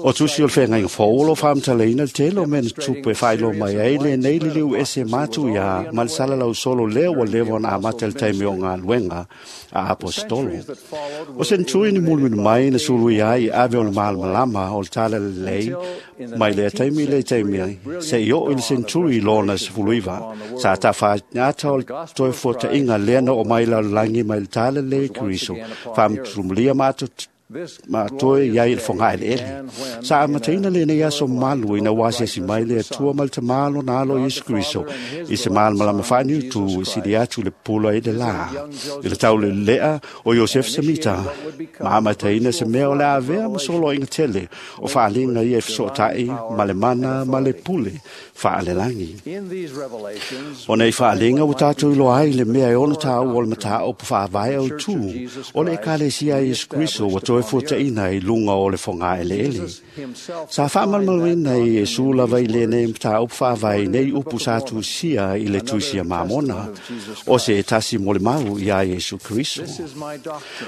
O tusi o le feagaiga fou o loo faamatalaina le tele o mea na tupu e faailoa mai ai lenei liliu ese matu iā ma le salalau solo lea ua leva ona amata i le taimi o galuega a apostolo. O senetui ni mulimuli mai na suluia ai i ave o le malamalama o le tala lelei mai lea taimi i lea taimi ai seia oo i le senturi lona sefuluiva sa tafaigata o le toe fuataʻiga lea na oo mai lalolagi mai le tala lelei Keriso faamatulumulia ma ato ma toe i ai i le fogaeleele. Sa amataina lenei aso mamalu ina ua asiasi mai le Atua ma le Tamā lona alo Iesu Keriso i se malamalama faaniutu e sili atu le pula i le lā. I le taulelea o Iosefe Semita, ma amataina se mea o le avea ma soloaiga tele o faaliga ia e fesootai ma le mana ma le pule faalelagi. O nei faaliga ua tatou iloa ai le mea e ono tāua o le mataupu faavae autu o le Ekalesia a Iesu Keriso ua toe fuataʻina i luga o le fogaeleele. Sa faamalamaluina i Iesu lava i lenei mataupu faavae nei upu sa tusia i le tusia mamona o se tasi mo le mau iā Iesu Keriso.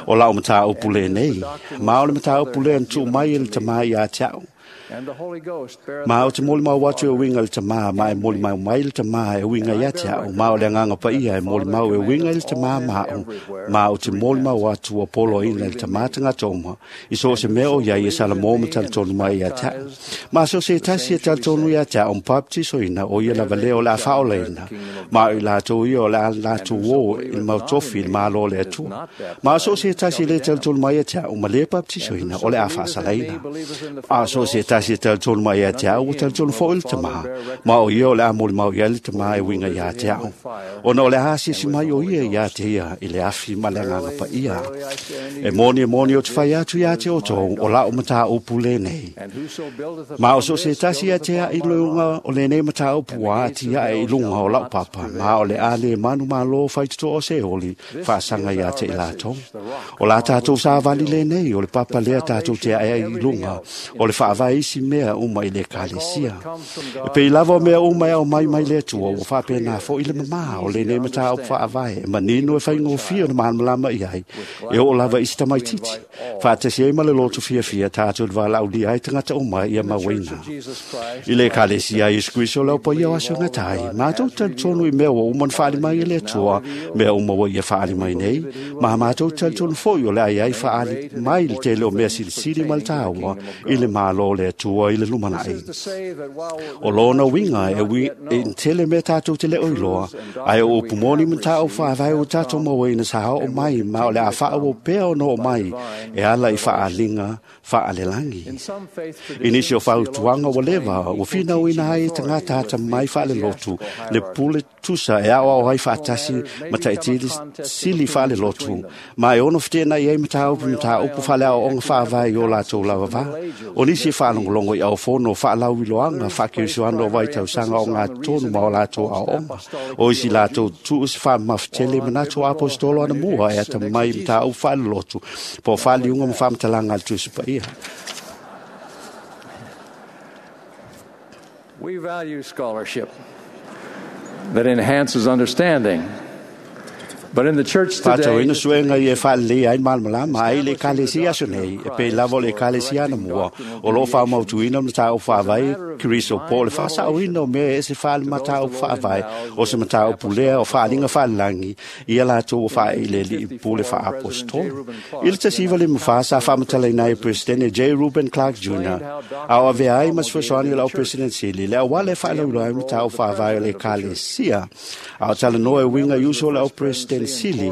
O lau mataupu lenei, ma o le mataupu lea na tuu mai e le Tamā iā te a'u. Ma o te molimau atu e uiga i le Tamā, ma e molimau mai le Tamā e uiga ia te a'u, ma o le Agaga Paia e molimau e uiga i le Tamā ma a'u, ma o te molimau atu ua poloaina i le Tamā tagata uma, i so o se mea o iai e salamo ma talitonu mai ia te a'u. Ma so se tasi e talitonu ia te a'u ma papatisoina o ia lava lea o le a faaolaina, ma o i latou ia o le a latou ō i le mautofi i le Malo o le Atua. Ma so se tasi e lē talitonu mai ia te a'u ma lē papatisoina o le a faasalaina. A so se tasi e talitonu mai ia te a'u ua talitonu fo'i le Tamā, ma o ia o le a molimau i ai le Tamā e uiga iā te a'u. Ona o le a asiasi mai o ia iā te ia i le afi ma le Agaga Paia. E moni e moni o te fai atu iā te outou o la'u mataupu lenei. Ma o so se tasi ia te a'i luga o lenei mataupu ua ati ae i luga o la'u papa, ma o le a le manumālō faitotoa o Seoli faasaga iā te i latou. O la tātou savali lenei o le papa lea tātou te ae ai i luga o le faavae isi mea uma i le Ekalesia. E pei lava o mea uma e ao mai mai le Atua ua faapena fo'i le mamā o lenei mataupu faavae e manino e faigofie ona malamalama i ai e oo lava i se tamaititi. Faatasi ai ma le loto fiafia tātou le valaaulia ai tagata uma ia mauaina. I le Ekalesia a Iesu Keriso o le aupaia o aso gatai, matou talitonu i mea ua uma ona faali mai e le Atua, mea uma ua ia faali mai nei, ma matou talitonu fo'i o le ai ai faali mai le tele o mea silisili ma le tāua i le Malo o le Atua i le lumanai. O lona uiga e ui e tele mea tātou te leo iloa, ae o upu moni ma tāu faavae o tātou mauaina sa oo mai ma o le a faaauau pea ona oo mai e ala i faaaliga faalelagi. I nisi o fautuaga ua leva ua finauina ai e tagata atamai faalelotu le pule tusa e aoao ai faatasi ma taitili sili faalelotu ma e ono feteenai ai mataupu mataupu faaleaoaoga faavae i o latou lava va. O nisi e faalogologo i aofono faalauiloaga faakerisiano o vaitausaga o gatonu ma o latou aoaoga. O isi latou tuu se faamamafetele manatu o aposetolo anamua e atamai i mataupu faalelotu po o faaliuga ma faamatalaga a le Tusi Paia. We value scholarship that enhances understanding. But in the church today, Faatauina suega ia e faalelei ai malamalama ai le ekalesia aso nei, e pei lava o le ekalesia anamua, o loo faamautuina mataupu faavae Keriso po o le faasaoina o mea e ese faale mataupu faavae o se mataupu lea o faaliga faalelagi ia latou ua faaeilelii pule faaapostolo. I le tasiva lima fa sa faamatalaina ai e Peresetene J. Reuben Clark Junior a o avea ai ma se fesoasoani o le au President Sili le auala e faalauiloa ai mataupu faavae o le ekalesia a o talanoa e uiga i uso o le au President Sili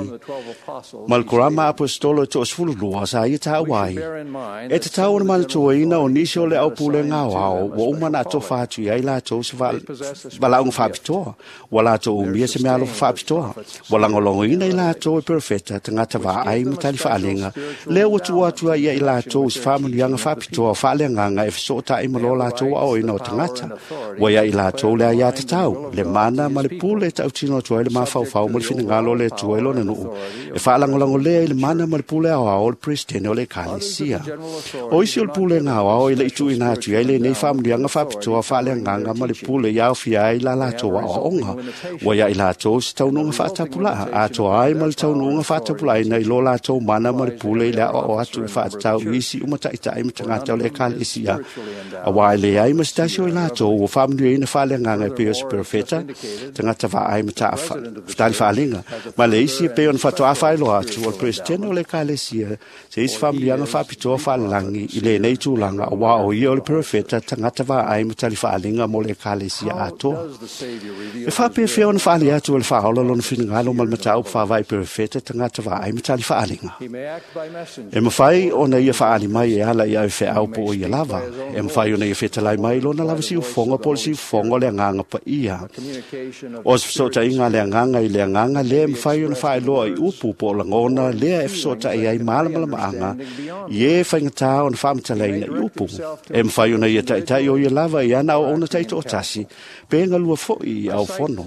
ma le korama apostolo e toasefululua sa ia taua ai. E tatau ona manatuaina o nisi o le aupulega aoao ua uma na atofa atu i ai latou se valaauga faapitoa, ua latou umia se meaalofa faapitoa, ua lagolagoina i latou e perofeta tagata vaai ma tali faaleaga, lea ua tuu atu ai ia i latou se faamanuiaga faapitoa faaleagaga e fesootai ma lo latou aoaoina o tagata. Ua ia i latou le aiā tatau, le mana ma le pule e tautino atu ai le mafaufau ma le finagalo o le Atua i lona nuu, e faalagolago lea i le mana ma le pule aoao o le Peresetene o le Ekalesia. O isi o le pulega aoao e le i tuuina atu i ai lenei faamanuiaga faapitoa faaleagaga ma le pule i aofia ai la latou aoaoga. Ua ia i latou se taunuuga faatapulaa, atoa ai ma le taunuuga faatapulaaina i lo latou mana ma le pule i le aoao atu e faatatau i isi uma taitai ma tagata o le Ekalesia. Auā e leai ma se tasi o i latou ua faamanuiaina faaleagaga e pei o se perofeta, tagata vaai ma tali faaleaga, ma le isi e pei ona faatoa faailoa atu o le Peresetene o le Ekalesia se isi faamanuiaga faapitoa faalelagi i lenei tulaga, auā o ia o le perofeta tagata vaai ma tali faaleaga mo le Ekalesia atoa. E faapefea ona faali atu e le faaola lona finagalo ma le mataupu faavae perofeta tagata vaai ma tali faaleaga. E mafai ona ia faali mai e ala i au feau po o ia lava. E mafai ona ia fetalai mai lona lava siufofoga po o le siufofoga o le agaga paia. O se fesootaiga a le agaga i le agaga lea e mafai ona faailoa i upu po o lagona lea e fesootai ai malamalamaaga i e faigata ona faamatalaina i upu. E mafai ona ia taitai o ia lava i ana aoaoga taitoatasi pe galua foi i aofono.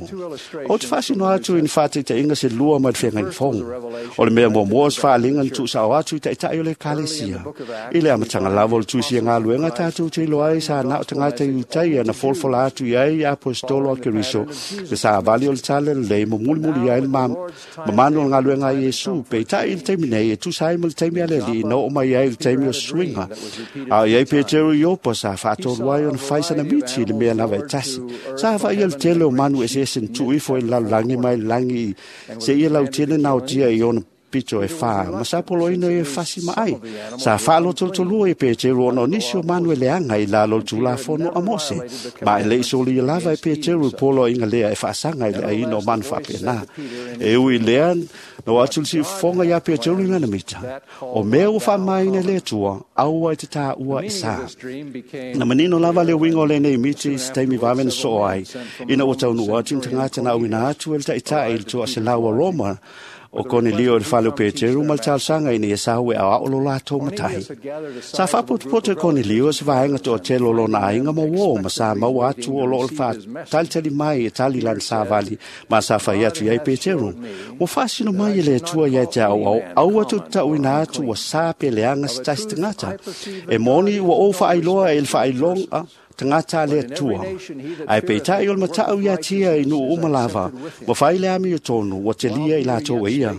Ou te faasino atu i ni faataitaiga se lua mai le feagaiga fou. O le mea muamua o se faaliga na tuusao atu i taitai o le ekalesia. I le amataga lava o le tuisia galuega tatou te iloa ai sa na o tagata i Utaia na folafola atu i ai aposetolo a Keriso le savali o le tala lelei ma mulimuli ai le mamanu o le galuega a Iesu. Peitai i le taimi nei e tusa ai ma le taimi a le Alii na oo mai ai le taimi o suiga. A o i ai Petero i Iopa sa faatolu ai ona fai sana miti i le mea lava e tasi. Sa vaai le tele o manu eseese na tuu ifo i le lalolagi mai le lagi seia lautele naotia i ona pito e whā, ma sa poloina e fasi ma ai. Sa whaalotolotolua i Peteru ona o nisi o manu e leanga i lalo le tulafono a Mose. Ma e le isoli i lava e Peteru polo inga lea e whaasanga i le aina o manu whaapena. E ui lea, no atu le siufonga ia Peteru i lana mita. O mea ua whaamaina le atua, aua i te tā ua e sā. Na manino lava le winga o lenei miti i se taimi vave na soo ai. Ina ua taunu atu ni tagata na auina atu e le taitai i le toa se laua Roma, o Konelio i le fale o Peteru ma le talosaga ina ia sahu e aoao lo latou matai. Sa faapotopoto e Konelio se vaega toatele o lona aiga ma uō ma sa maua atu o loo le faatalitali mai e tali lana savali ma sa fai atu i ai Peteru. Ua faasino mai e le Atua ia te aoao, aua tutatauina atu ua sa pe leaga se tasi tagata. E moni ua ou faailoa e le faailoga tagata a le Atua. Ae peitai o le matau ia tia i nuu uma lava, ua fai le ami o tonu, ua telia i latou e ia.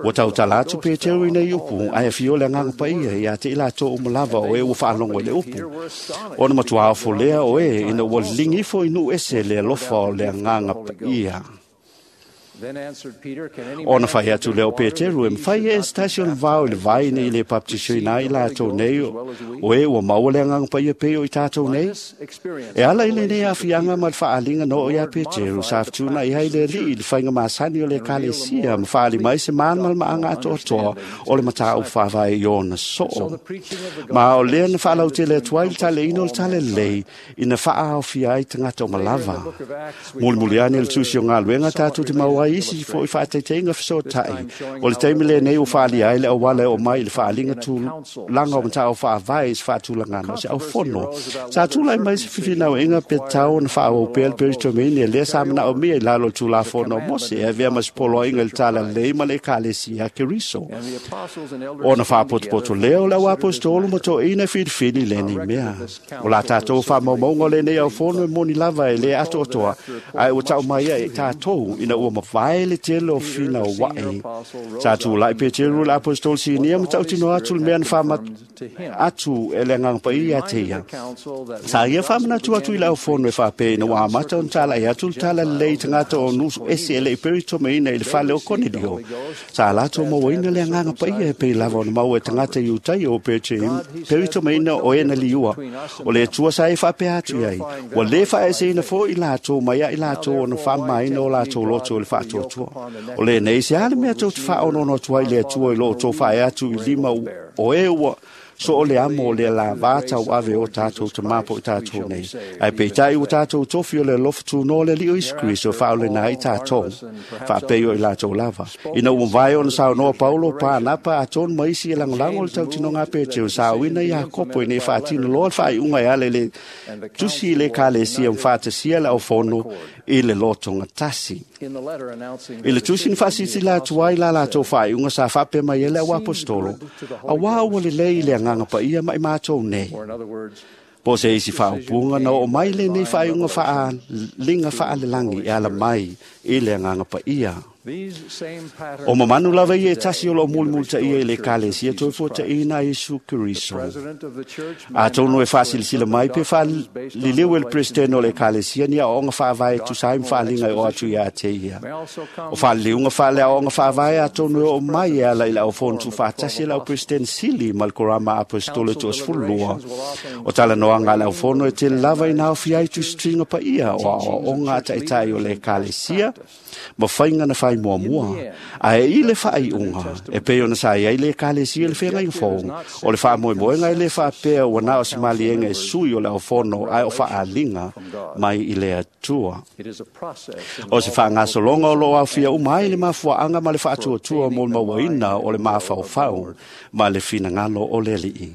Ua tautala atu Peteru i nei upu, ae afio le agaga paia ia te i latou uma lava o e ua faalogo i le upu. Ona matua ofo lea o e, ina ua liligi ifo i nuu ese le alofa o le agaga paia. Ona fai atu lea o Peteru e mawhai e se tasi o le vao i le vai nei le baptisoina ai latou nei o e ua maua le agaga paia pei o i tātou nei. E ala i lenei aafiaga ma le faaaliga na oo iā Peteru sa fetuunai ai le alii i le faiga masani o le ekalesia ma faaali mai se malamalamaaga atoatoa o le mataupu faavae i ona soo. Ma o lea na faalautele atu ai le taleina o le talalelei ina faaaofia ai tagata o malava. Mulimuli ane le tusi o galuega tatou te maua ai isi fo'i faataitaiga fesoota'i o le taimi lenei ua faalia ai le auala e oo mai i le faaaliga tulaga o mataupu faavae i se faatulagaga o se aufono. Sa tulai mai se fefinauaiga pe tatau ona faaauau pea le Peretomene lea sa manaomia i lalo o le Tulafono o Mose e avea ma se poloaiga i le talalelei ma le ekalesia a Keriso. Ona faapotopoto lea o le auaposetolo ma toeaina e filifili lenei mea. O la tatou faamaumauga o lenei aufono e moni lava e lē atoatoa, ae ua tau mai ai tatou ina ua mavae le tele o finaua'i. Sa tulai Peteru le aposetolo sinia ma tautino atu le mea na faamat atu e le agaga paia ia te ia. Sa ia faamanatu atu i le aufono e faapea ina ua amata ona talai atu le talalelei i tagata o nusu ese e le i peritomeina i le fale o Konelio. Sa latou mauaina le agaga paia e pei lava ona maua e tagata Iutaia o peritomeina o e na liua. O le Atua sa e faapea atu i ai, ua lē faaeseina fo'i latou mai ai latou ona faamamaina o latou loto i le faatuatua. O lenei se a le mea tou te faaonono atu ai i le Atua i lo outou faae atu i lima o e ua so o le amo o le lavā tauave o tātou tamā po i tātou nei. Ae peitai ua tātou tofi o le alofa tunoa o le Alii o Iesu Keriso e faaoleina ai tātou, faapei o i latou lava. Ina ua mavae ona saunoa Paulo, Panapa, atonu ma isi e lagolago le tautinoga a Peteru, saoina Iakopo ina ia faatino loa le faaiuga e ala i le tusi i le ekalesia ma faatasia le aufono i le lotogatasi. I le tusi na faasilasila atu ai la latou faaiuga sa faapea mai ai le auaposetolo, auā ua lelei i le agaga paia ma i matou nei. Po o se isi faaupuga na oo mai lenei faaiuga faaliga faalelagi e ala mai i le agaga paia. O mamanu lava ia e tasi o loo mulimulitaia i le ekalesia toe fuataʻiina a Iesu Keriso. Atonu e faasilasila mai pe faaliliu e le Peresetene o le ekalesia ni aoaoga faavae e tusa ai ma faaliga e oo atu iā te ia. O faaliliuga faaleaoaoga faavae atonu e oo mai e ala i le aufono tuufaatasi e le au Peresetene sili ma le Korama Aposetolo e toasefululua. O talanoaga a le aufono e tele lava ina aofia ai tusituiga paia o aoaoga a taʻitaʻi o le ekalesia ma faiga na fai muamua. Ae i le faaiuga e pei ona sa iai le ekalesia i le feagaiga fou, o le faamoemoega e lē faapea ua na o se maliega e sui o le aufono ae o faaaliga mai i le Atua. O se faagasologa o loo aofia uma ai le mafuaaga ma le faatuatua mo le mauaina o le mafaufau ma le finagalo o le Alii.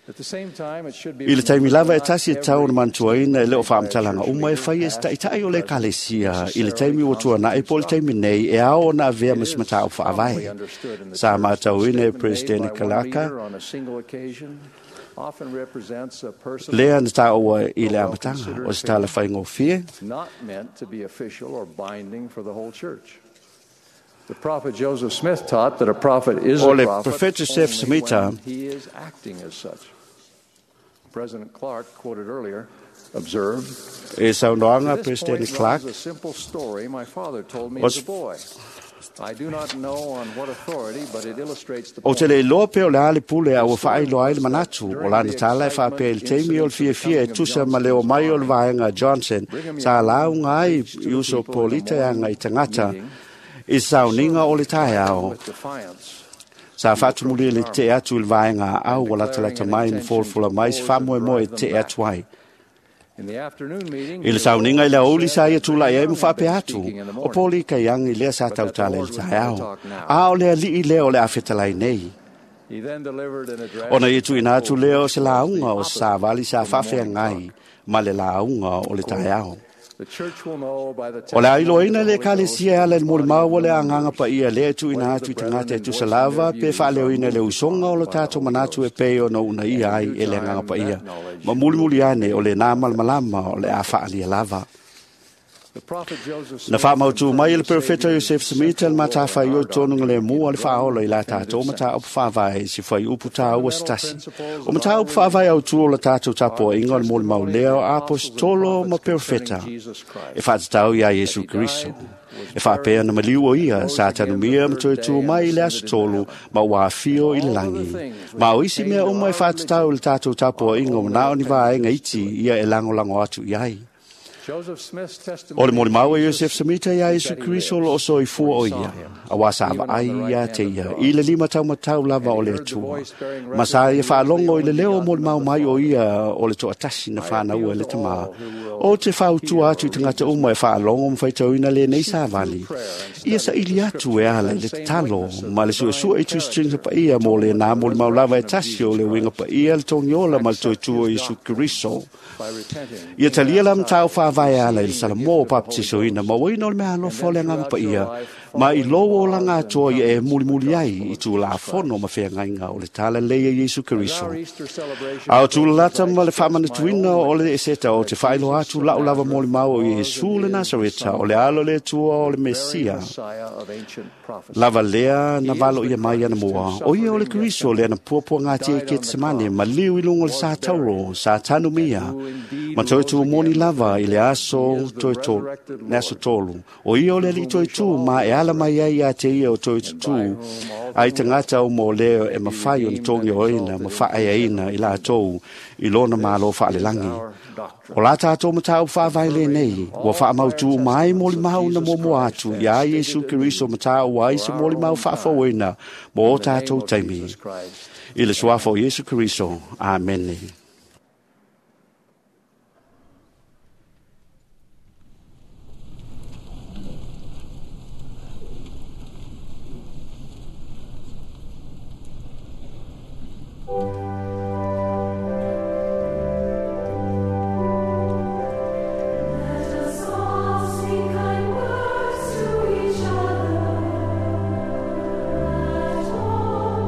I le taimi lava e tasi e tau ona manatuaina e le o faamatalaga uma e fai e se taʻitaʻi o le ekalesia i le taimi ua tuanaʻi po o le taimi nei e ao ona avea ma se mataupu faavae. Sa matauina e Peresetene Kalaka lea na taua i le amataga o se tala faigofie. The prophet Joseph Smith taught that a prophet is O a le prophet Prophet Joseph only Smith when he is acting as such. President Clark, quoted earlier, observed, E saunoaga To this President point Clark runs a simple story my father told me O as se a boy. I do not know on what authority, but it illustrates the O te point. le iloa pe o le a le pule a ua faailoa ai le manatu o lana tala e faapea i le taimi o le fiafia e tusa ma le omai o le vaega Johnson sa lauga ai i uso polita e aga i tagata i sauniga o le taeao. With defiance, Sa faatumuli le te'e atu i le vaega aau ua latalata mai ma folafola mai se faamoemoe e te'e atu ai. in the afternoon meeting, I le sauniga i le aoauli sa ia tula'i ai ma faapea atu, o poli kaiagi lea sa tautala i le taeao. A o le alii lea o le afetalai nei. he then delivered an address Ona ia tuuina atu lea o se lauga o se savali sa faafeagai ma le lauga o le taeao. The church will know by the O le testimony ailoaina of le the Holy Ghost ekalesia e ala i le molimau o le agaga paia lea e tuuina atu i tagata e tusa lava pe faaleoina le usoga o lo tatou manatu e pei ona uunaia ai e le agaga paia. Ma mulimuli ane o lenā malamalama o le a faalia lava. The prophet Joseph Na Smith faamautū mai e le confirmed the Perofeta Savior's Joseph Smith le matafaioi tonuga le mua le faaola i la tatou mataupu faavae i se fuaiupu tāua se tasi. O mataupu faavae autū o la tatou tapuaiga o le molimau lea o aposetolo ma perofeta e faatatau iā Iesu Keriso. E faapea na maliu o ia sa tanumia ma toe tu mai i le aso tolu ma ua afio i le lagi. Ma o isi mea uma e faatatau i le tatou tapuaiga o manao ni vaega iti ia e lagolago atu i ai. O le molimau e Iosef Semita ia Iesu Keriso o loo soifua o ia, auā sa vaai ia te ia i le lima taumatau lava o le Atua. Ma sa ia faalogo i le leo o molimau mai o ia o le toatasi na fanaua e le Tamā. O te fautua atu i tagata uma e faalogo ma faitauina lenei savali. Ia saili atu e ala i le tatalo ma le suesue i tusituga paia mo lenā molimau lava e tasi o le uiga paia le togiola ma le toe o Iesu Keriso. Ia talia la matau faavae ala i le Salamo o papatisoina ma uaina o le mea alofa o le Agaga Paia ma i lou olaga atoa ia e mulimuli ai i tulafono ma feagaiga o le talalelei a Iesu Keriso. A o tulalata ma le faamanatuina o le eseta o te faailoa atu lau lava molimau o Iesu le Nasareta o le alo le Atua o le Mesia lava lea na valo ia mai ana mua o ia o le Keriso lea na puapuagatia i Ketsemane ma liu i luga o le sa tauro sa tanumia ma toe tu moni lava i le aso toe tolu, le aso tolu. O ia o le alii toe tu ma e ala mai ai ia te ia o toe tutū ai tagata uma o lea e mafai ona togi oina ma faaeaina i latou i lona malo faalelagi. O la tatou mataupu faavae lenei ua faamautū mai molimau na muamua atu iā Iesu Keriso matau ai se molimau faafouina mo o tatou taimi. I le suafa o Iesu Keriso. Amene. Let us all speak kind words to each other. Let all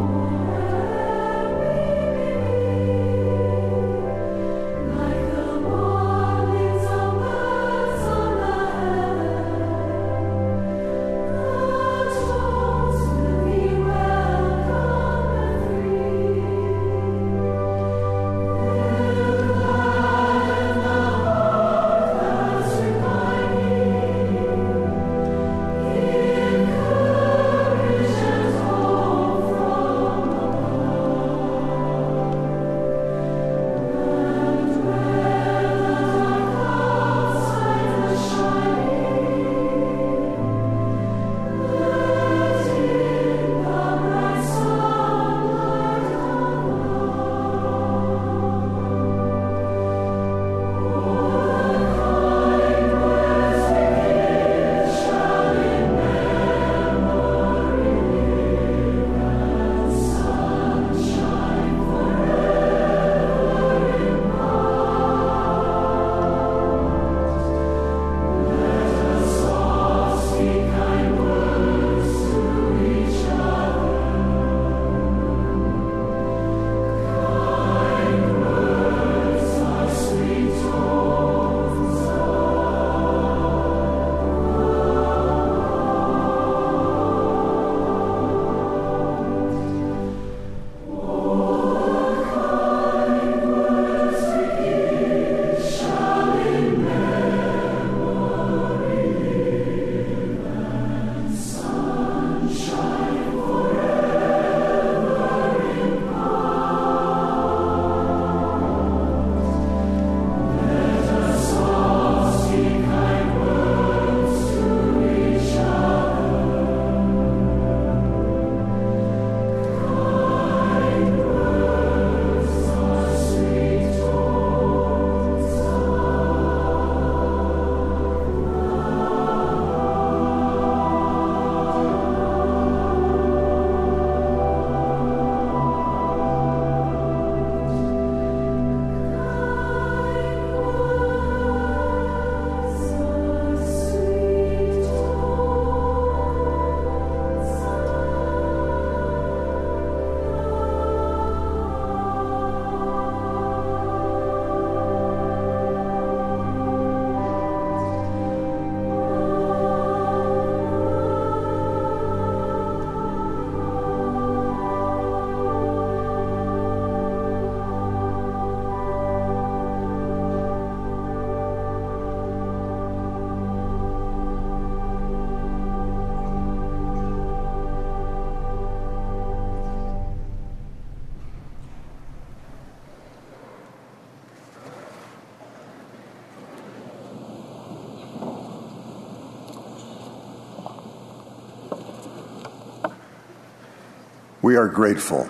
We are grateful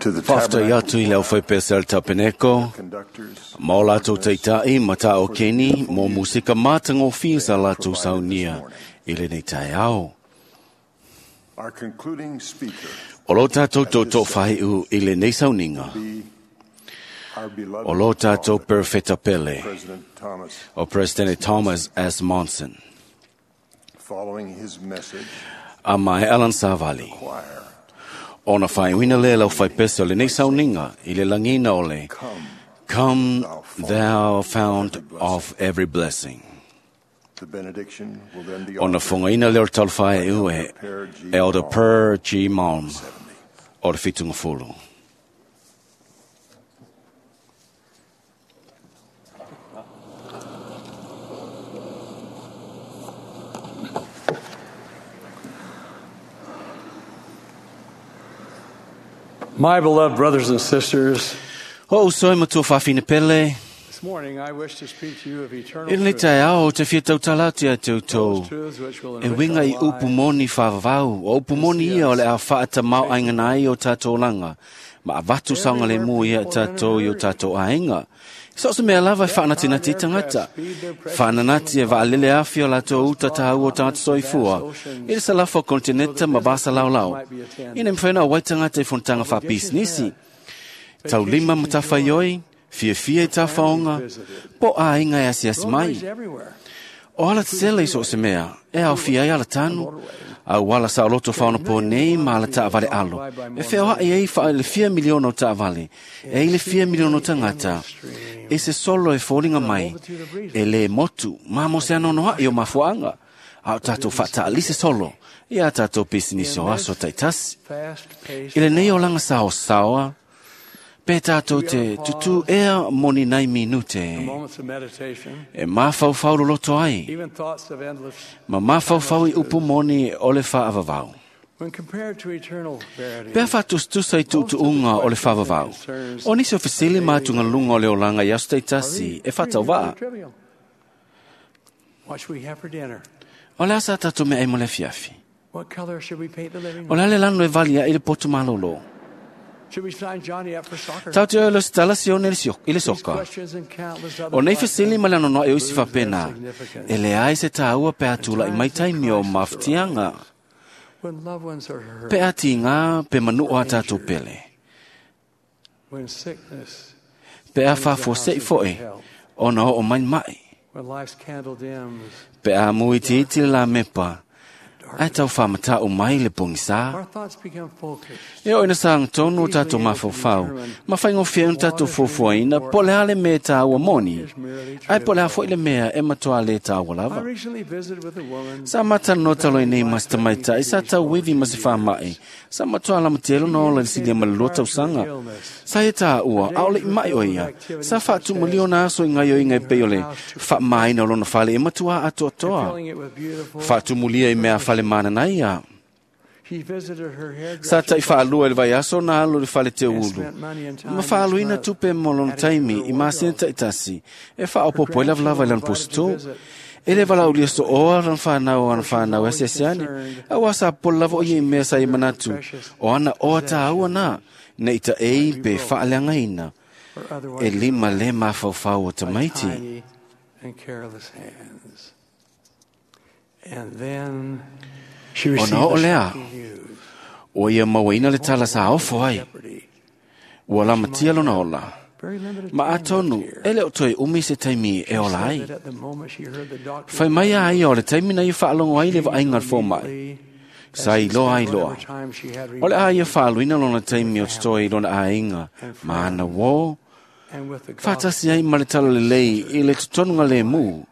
to the Faafetai atu i le aufaipese a le Tapeneko, ma o latou taitai ma tā o keni mo musika mātagofie sa latou saunia i lenei taeao. Our concluding speaker O lo tātou tōtō whaiu i lenei sauniga, our beloved o lo tātou Perfeta Pele, President Thomas. o President Thomas S. Monson, Following his message, a mai Alan Savali. Ona whaiuina le lau whaipese o lenei sauniga i le langina o le Come Thou Fount of Every Blessing. the benediction will then be Ona whangaina leo talwhai e ue Elder Per G. Malm o te whitunga fulu. My beloved brothers and sisters, Ho usoi matua whawhina pele, this morning I wish to speak to you of eternal i le truth, tai ao te whia tautala atu ia te utou. truths which will E enrich winga our i upu moni whawawau, o upu moni ia o le a whaata mau aingana ai o tātou langa, ma avatu saunga le mua ia tātou i o tātou ainga. So se mea lava e whaanatinati i tangata. Whaananati e vaalele afi o lātou uta tāu o tātou soifua. I le salafa o kontineta ma vasa laulau. Ina mwhaina o waitangata i fontanga whapisnisi. Tau lima matawhaioi, fiafia i tāwhaonga, po ainga e asiasi mai. Roadways everywhere. O ala tsele i so se mea, e au fia i ala tanu, au ala sa oloto whaona po nei ma ala taavale alo. E whea hoa e ei wha le fia miliona o taavale, e i le fia miliona o tangata, e se solo e fōlinga mai, e le motu, ma mo se anono hai o mafuanga, a o tātou whataalise solo, i a tātou pisinisi o aso taitasi. Fast-paced I le nei o langa sao saoa, pe tātou te tutu ea moni nai minute, moments of meditation, e mawhauwhau loloto ai. even thoughts of endless, Ma mawhauwhau i upu moni o le whaavavau. when compared to eternal verity, Pea whatustusa i tuutuunga o le whaavavau. O nisi o fesili mātunga lunga o le olanga i aso teitasi e whatau waa. trivial. What should we have for dinner? O le asa tātou mea e mo le fiafi. What color should we paint the living O room? le ale lanu e vali a i le potu malolo. Should we sign Johnny up for soccer? Tau te oelo se tala sione i le sio- i le These soka. questions and countless other O nei like fesili them ma le anonoa e usi lose their whapena. significance E le ai se tāua pe atula i mai taimi o mawhitianga. when loved ones are hurt, Pe ati ngā pe manu o a tātou pele. when sickness, Pe a whafo se i foe. O na o mai mai. when life's candle dims, Pe a mui te iti le la mepa. Ai tau whamata o mai le pongisa. our thoughts become focused. E o ina saanga tonu o tātou mawhawhau. Ma whaingo whia tātou fuafuaina, po le hale me tāua moni. Ai po le hafo i le mea e matoa le tāua I lava. recently visited with a woman Sa mata no talo i nei mas tamaitai, sa tau wevi mas i whamai. Sa matoa la matelo no ola le silia ma le lua tausanga. Sa e tā ua, aole i mai o ia. Sa whaatu mulio na aso i ngai o ingai pei o le wha maina o lona whale e matua atoa toa. filling it with beautiful. Whaatu mulia i mea whale mana na ia. She visited her hairdresser Sa tai whaalua i le vai aso na alo le whale te and ulu. spent money and time Ma each whaaluina month tupe mo lona taimi i māsina taitasi. E whaopopo e lava lava i lana pusitu. E le vala ulia so oa ran whanau ana whanau e siasiani. A wasa pola lava o i mea sa i manatu. O ana oa tā ua nā. Nei ta ei pe whaaleanga ina. or otherwise E lima le mawhauwhau o by tamaiti. tiny and careless hands. And then she O received na o the lea. shocking news. O ia mauaina le tala sa ofo ai. Jeopardy. Ua la matia lona ola. Very limited Ma time atonu, left here. e le o toe umi se taimi e ola Said ai. that at the moment she heard the doctor Whai mai a ai o le taimi na i whaalongo ai le vainga fō mai. immediately, Sa i loa ai loa. whatever time she had O le a ia remaining, whaaluina lona taimi o te i lona ainga. Ma ana wō, and with the whātasi ai ma le tala le lei i le tutonunga le mū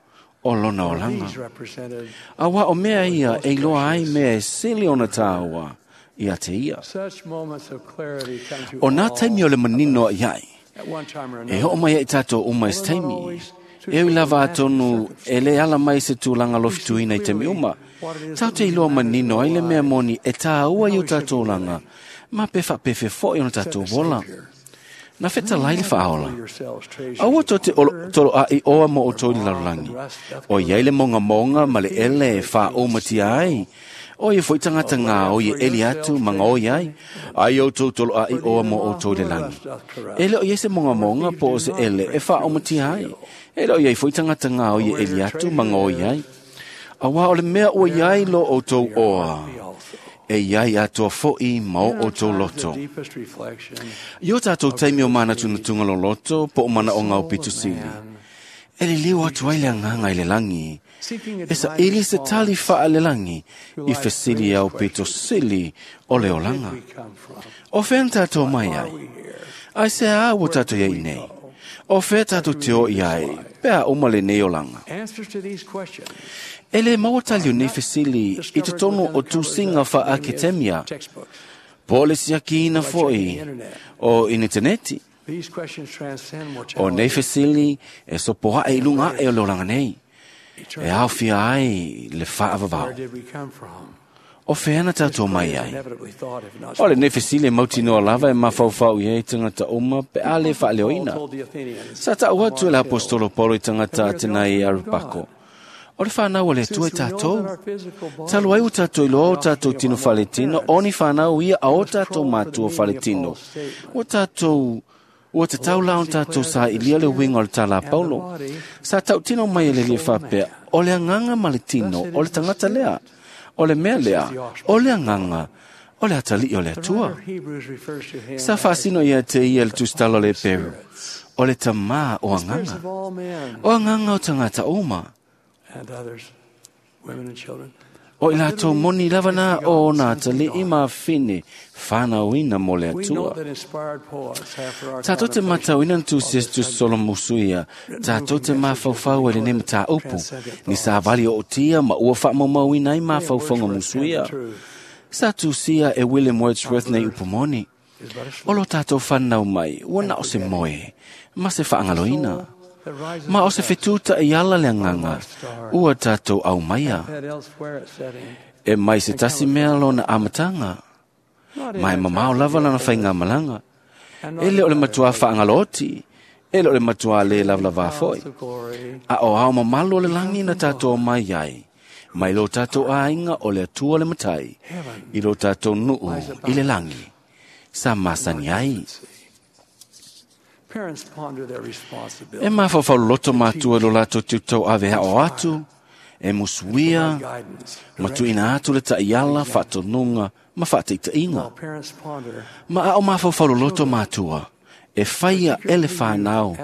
o lona gospel, olanga. these represented A wā o mea ia e loa ai mea e sili ona tāua i a te ia. such moments of clarity come to O nā all taimi o le manino a iai. at one time or E another. ho mai e tātou uma e se taimi. E ui lava atonu e le ala mai se tūlanga lofituina i te mi uma. Tau te iloa manino ai le mea moni e tāua i o tātou langa. Ma pe whapefe fo i ona tātou wola. Na wheta lai le whaola. Yourselves treasures Aua tō te olo, tolo a i oa mo o tō i larolangi. O iei le monga monga ma le ele e wha o matia ai. O ia foi tagata gaoi e eli atu ma gaoi ai, ai outou toloa'i oa mo outou i le lagi. E le o i ai se mogamoga po o se ele e faaomatia ai. E le o i ai foi tagata gaoi e eli atu ma gaoi ai. Auā o le mea ua i ai lo outou oa, e iai atoa fo'i ma o outou loto. I o tātou taimi o manatunatuga loloto po o manaoga o pitusili, e liliu atu ai le agaga i le lagi, e saili se tali faalelagi i fesili au pitosili o le olaga. O fea na tātou mai ai? Ai se a ua tātou iai nei? O fea tātou te o i ai, pe a uma lenei olaga? E le maua tali o nei fesili i totonu o tusiga faaketemia, po o le siakiina fo'i o initaneti. O nei fesili e sopoaʻe i luga aʻe o le olaga nei, e aofia ai le faavavao. O fea na tātou mai ai? O lenei fesili e mautinoa lava e mafaufau i ai tagata uma pe a le faaleoina. Sa taʻu atu e le apostolo Paulo i tagata Atenai e Arupako, o le whanau o le Atua i tātou. Talu ai o tātou iloa o tātou tino faletino, o ni whanau ia a o tātou mātua faletino. O tātou, ua te tau la o tātou sa ilia le winga o le tala a Paulo. Sa tau tino mai e le lia whapea, o le anganga ma le tino, o le tangata lea, o le mea lea, o le anganga, o le atali o le Atua. Sa whaasino ia te ia le tustalo le Peru, o le tamā o anganga, o anganga o tangata uma. O i lātou moni lava nā o nā tali'i ma whine whanauina mo le Atua. Tātou te matauina na tūsi es tu solomusu ia, tātou te mafaufau e le nei matāupu, ni sa vali o tia ma ua whaamaumauina ai mafaufaunga musu ia. Sa tūsia e William Wordsworth nei upumoni. O lo tātou whanau mai, ua na o se moe, ma se whaangaloina. Ma o se fetuta i ala le anganga, ua tātou au maia. E mai se tasi mea lona amatanga, mai mamao lava lana whainga malanga. E le o le matua whaangaloti, e le o le matua le lava foi. A o ao mamalo le langi na tātou mai ai, mai lo tātou ainga o le Atua le matai, i lo tātou nuu i le langi. Sa masani ai. E mafaufau loto mātua lo lātou tiutau ave hao atu, e musuia, matuina atu le ta'iala, whaatonuga, ma whaataitaiga. Ma ao mafaufau loto mātua, e whaia e le whanau,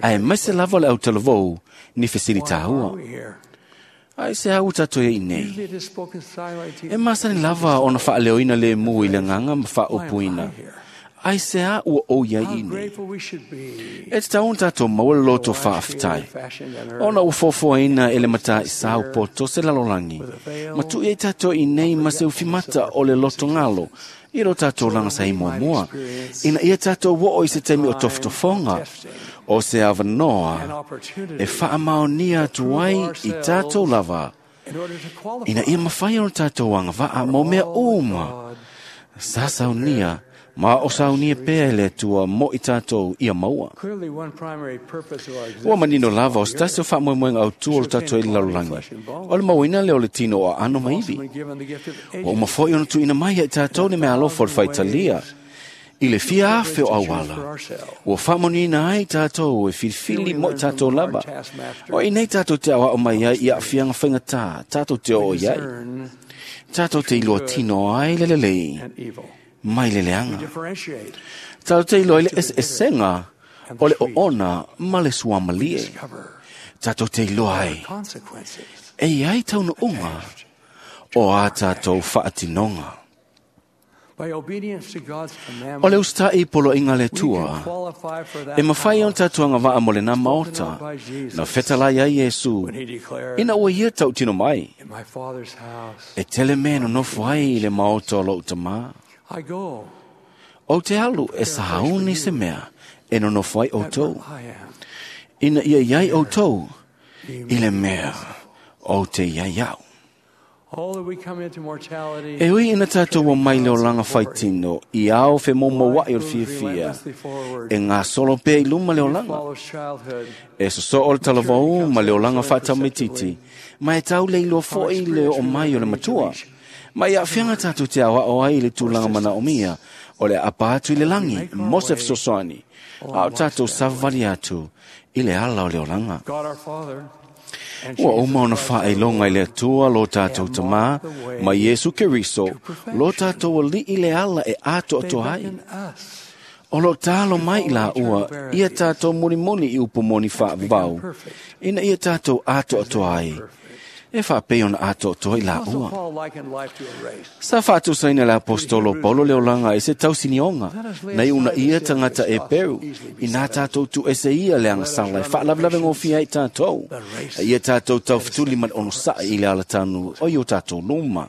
a e maise lava le autalavou ni fesili tāua. Ai se au tātou e nei. E masani lava ona whaaleoina le mu i le nganga ma whaopuina. Ai se a ua o ia i nei. E te taun tātou maua le loto whaaftai. Ona ua fofoaina e le mata i sāu poto se lalolangi. Ma tui e tātou i nei ma se uwhimata o le loto ngalo. I ro tātou langa sa himoa mua. Ina ia tātou wo o i se teimi o tofutofonga. O se awanoa e whaamaonia atu ai i tātou lava. Ina ia mawhai o tātou anga waa mō mea uma. Sa saunia, ma o saunia pea e le Atua mo i tātou ia maua. Ua manino lava o se tasi o whaamoemoenga au tua o le tātou e le lalolagi. O le mauina leo le tino o ano maivi. Ua uma foi ona tuuina mai ia i tātou ni mea alofa o le whaitalia. I le fia afe o auala. Ua whaamonina ai tātou e filifili mo i tātou lava. O i nei tātou te awa o mai ai i a whianga whaingatā, tātou te o i ai. Tātou te iloa tino ai le lelei, mai le leanga. Tātou te iloa i le eseesenga o le oona ma le suamalie. Tātou te iloa ai. E iai taunuunga o a tātou whaatinonga. O le ustai polo inga le tua, e mawhai on tātuanga waa mo le nā maota, na whetalai ai Yesu, ina ua ia tau tino mai. E tele mea no nofo ai i le maota o lou tamā. O te alu e sahauni se mea, e no nofo ai outou. Ina ia iai outou, i le mea o te iai au. E ui ina tātou o mai le olanga whaitino, i ao whe momo wai o le fiafia, e ngā solo pē i luma le olanga. E soso o le talavau ma le olanga whaatamititi, ma e tau le iloa foi le o mai o le matua, Ma ia aafiaga tatou te aoao ai i le tulaga manaomia o le aapa atu i le lagi mo se fesoasoani, a o tatou savavali atu i le ala o le olaga. Ua uma ona faailoga i le Atua lo tatou Tamā ma Iesu Keriso lo tatou Alii le ala e atoatoa ai. O lo talo mai i la ua ia tatou mulimuli i upu moni faavavau, ina ia tatou atoatoa ai, e faapei ona atoatoa i la ua. Sa faatusaina le apostolo Paulo le olaga i se tausinioga, na iuna ia tagata e peru, ina tatou tuuese ia le agasala e faalavelave gofie ai tatou, a ia tatou taufetuli ma le onosa'i i le alatanu o i o tatou luma.